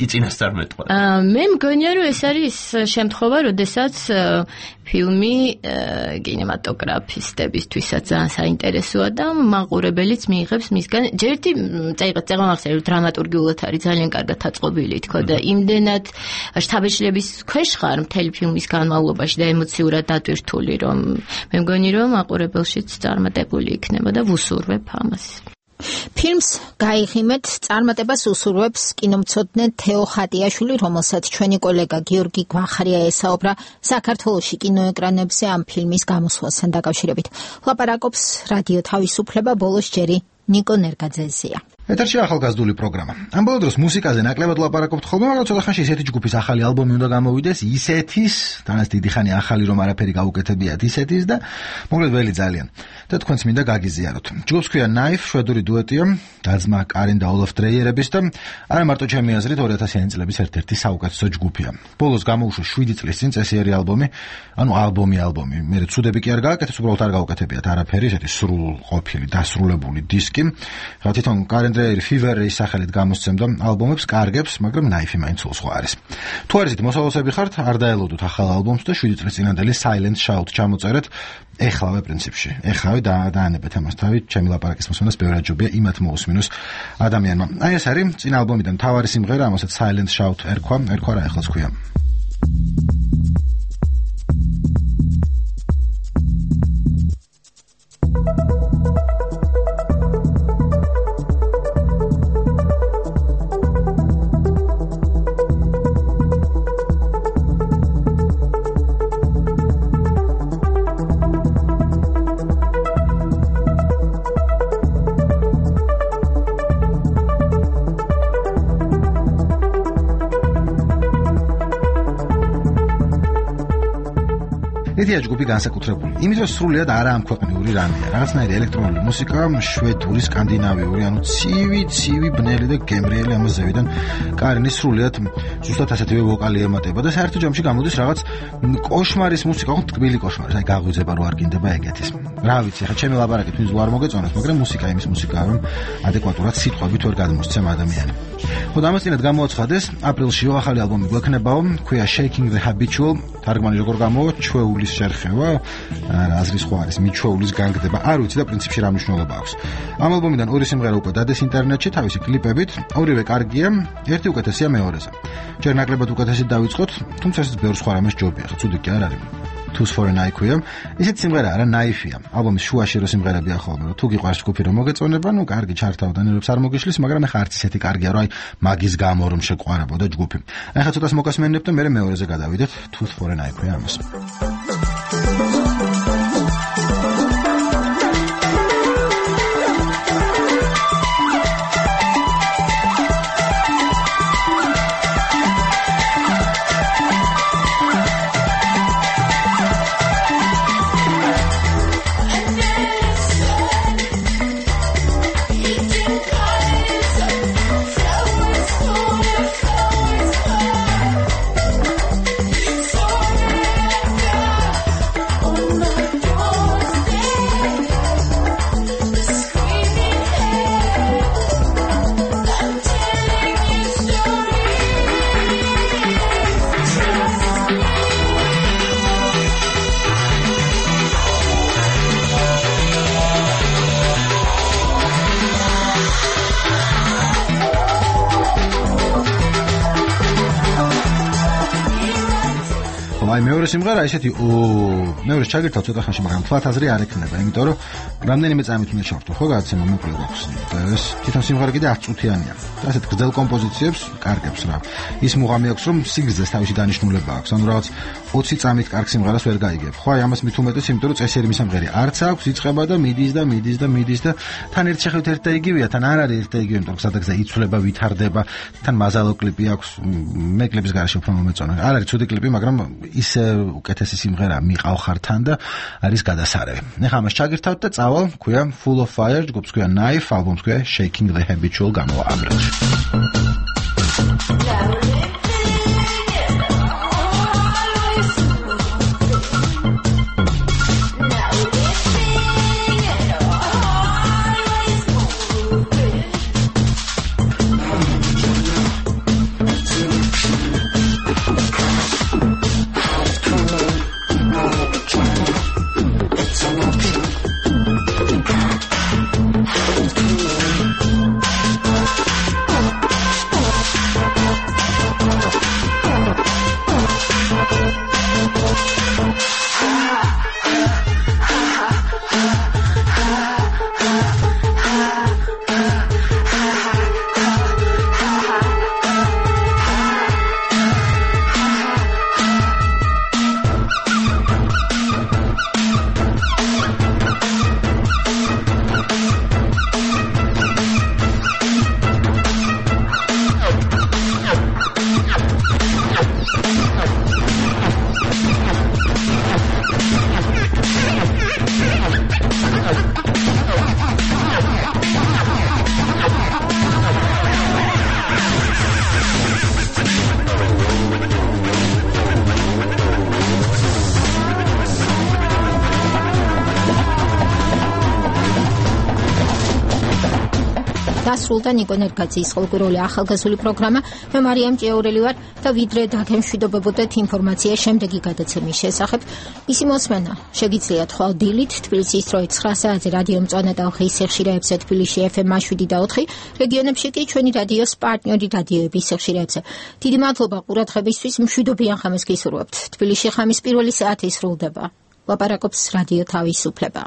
იწინასწარმეტყვა. მე მგონია, რომ ეს არის შემთხვევა, როდესაც ფილმი კინემატოგრაფისტებისთვისაც ძალიან საინტერესოა და მაყურებელიც მიიღებს მისგან. ჯერტი წაიღეთ წეგამახსენე, რომ დრამატურგიულად არის ძალიან კარგად აწყობილი, თქო და იმდენად შთაბეჭდილების ქვეშ ხარ მთელი ფილმის განმავლობაში და ემოციურად დატვირთული, რომ მე მგონი, რომ მაყურებელშიც წარმატებული იქნება და ვუსურვებ ამას. ფილმს გაიღიმეთ წარმატებას უსურვებს კინომცოდნე თეო ხატიაშვილი, რომელსაც ჩვენი კოლეგა გიორგი გვახარია ესაუბრა საქართველოში კინოეკრანებზე ამ ფილმის გამოსვლასთან დაკავშირებით. ლაპარაკობს რადიო თავისუფლება, ბოლოს ჯერი ნიკო ნერგაძეზია. ეთერში ახალგაზრდული პროგრამა. ამ ბოლო დროს მუსიკაზე ნაკლებად ვლაპარაკობთ ხოლმე, მაგრამ ცოტა ხანში ისეთი ჯგუფის ახალი ალბომი უნდა გამოვიდეს, ისეთის, თანაც დიდი ხანი ახალი რომ არაფერი გაუკეთებიათ ისეთის და მოკლედ ველი ძალიან. და თქვენც მინდა გაგიზიაროთ. ჯგუფს ქვია Knife, შვედური დუეტია, დაძმა კარენ და ოლაფ დრეიერების და არა მარტო ჩემი აზრით ორი ათასიანი წლების ერთ-ერთი საუკეთესო ჯგუფია. ბოლოს გამოუშვა შვიდი წლის წინ წესიერი ალბომი, ანუ ალბომი ალბომი. მე ცუდები კი არ გააკეთეს, უბრალოდ არ გაუკეთებიათ არაფერი, ესეთი სრულყოფილი, დასრულებული დისკი. რა თვითონ კარენ დრეიერი Fever-ის სახელით გამოსცემდა ალბომებს, კარგებს, მაგრამ Knife მაინც სხვა არის. თუ არ ისეთ მოსალოსები ხართ, არ დაელოდოთ ახალ ალბომს და შვიდი წლის წინანდელი Silent Shout ჩამოწერეთ. ეხლავე პრინციპში. ეხლავე და დაანებეთ ამას თავი, ჩემი ლაპარაკის მოსმენას ბევრად ჯობია იმათ მოусმინოს ადამიანმა. აი ეს არის წინა ალბომიდან მთავარი სიმღერა, ამასაც Silent Shout ერქვა, ერქვა რა ეხლაც ქვია. ედია ჯგუფი განსაკუთრებული. იმით რომ სრულიად არა ამქვეყნიური რამეა. რაღაცნაირი ელექტრონული მუსიკა, შვედური, სკანდინავიური, ანუ ცივი, ცივი, ბნელი და გემრიელი ამას ზევიდან კარინის სრულიად ზუსტად ასეთივე ვოკალი ემატება და საერთო ჯამში გამოდის რაღაც კოშმარის მუსიკა, ხო თბილი კოშმარი, აი გაღვიძება რო არ გინდება ეგეთის. რა ვიცი, ხა ჩემი ლაპარაკით ვინც არ მოგეწონათ, მაგრამ მუსიკა იმის მუსიკაა, რომ ადეკვატურად სიტყვებით ვერ გადმოსცემ ადამიანი. ხო და ამას წინათ გამოაცხადეს, აპრილშიო ახალი ალბომი გვექნებაო, ქვია Shaking the Habitual, თარგმანი როგორ გამოვა, ჩვეულის შერხევა, აზრის სხვა არის, მიჩვეულის განგდება, არ ვიცი და პრინციპში რა მნიშვნელობა აქვს. ამ ალბომიდან ორი სიმღერა უკვე დადეს ინტერნეტში თავისი კლიპებით, ორივე კარგია, ერთი უკეთესია მეორეზე. ჯერ ნაკლებად უკეთესი დავიწყოთ, თუმცა ეს ბევრ სხვა რამეს ჯობია, ხო ცუდი კი არ არის. Tools for an Eye ქვია. ისეთ სიმღერა არა, Knife-ია. ალბომის შუაში რო სიმღერებია ხოლმე, რომ თუ გიყვარს ჯგუფი რომ მოგეწონება, ნუ კარგი ჩართავდან ერებს არ მოგიშლის, მაგრამ ეხა არც ისეთი კარგია, რომ აი მაგის გამო რომ შეყვარებოდა ჯგუფი. აი ხა ცოტას მოგასმენებ და მე მეორეზე გადავიდეთ. Tools for an Eye ქვია ამას. აი მეორე სიმღერა ისეთი ო მეორე ჩაგირთავ ცოტა ხანში, მაგრამ თვალთაზრი არ ექნება, იმიტომ რომ რამდენიმე წამით უნდა ჩავთო, ხო გადაცემა მოკლე გვაქვს და ეს თვითონ სიმღერა კიდე არც წუთიანია. და ასეთ გრძელ კომპოზიციებს კარგებს რა. ის მუღამი აქვს, რომ სიგრძეს თავისი დანიშნულება აქვს, ანუ რაღაც ოცი წამით კარგ სიმღერას ვერ გაიგებ. ხო აი ამას მით უმეტეს, იმიტომ რომ წესიერი სიმღერა არც აქვს, იწყება და მიდის და მიდის და მიდის და თან ერთ შეხედვით ერთ და იგივეა, თან არ არის ერთ და იგივე, იმიტომ რომ სადაც იცვლება, ვითარდება, თან მაზალო კლიპი აქვს, მე კლიპის გარშე უფრო მომეწონა. არ არის ცუდი კლიპი, მაგრამ ის უკეთესი სიმღერა მიყავ ხართან და არის გადასარევი. ეხლა ამას ჩაგირთავთ და წავალ, ქვია Full of Fire, ჯგუფს ქვია Knife, ალბომს ქვია Shaking the Habitual, გამოვა აპრილში. დასრულდა ნიკო ნერგაძის ხოლმე ახალგაზრდული პროგრამა. მე მარიამ ჭიაურელი ვარ და ვიდრე დაგემშვიდობებოდეთ ინფორმაცია შემდეგი გადაცემის შესახებ. ისი მოსმენა შეგიძლიათ ხვალ დილით თბილისის დროით ცხრა საათზე რადიო მწვანე და ხის სიხშირეებზე თბილისში ეფ ემ შვიდი და ოთხი, რეგიონებში კი ჩვენი რადიოს პარტნიორი რადიოების სიხშირეებზე. დიდი მადლობა ყურადღებისთვის, მშვიდობიან ხამს გისურვებთ. თბილისში ხამის პირველი საათი სრულდება. ლაპარაკობს რადიო თავისუფლება.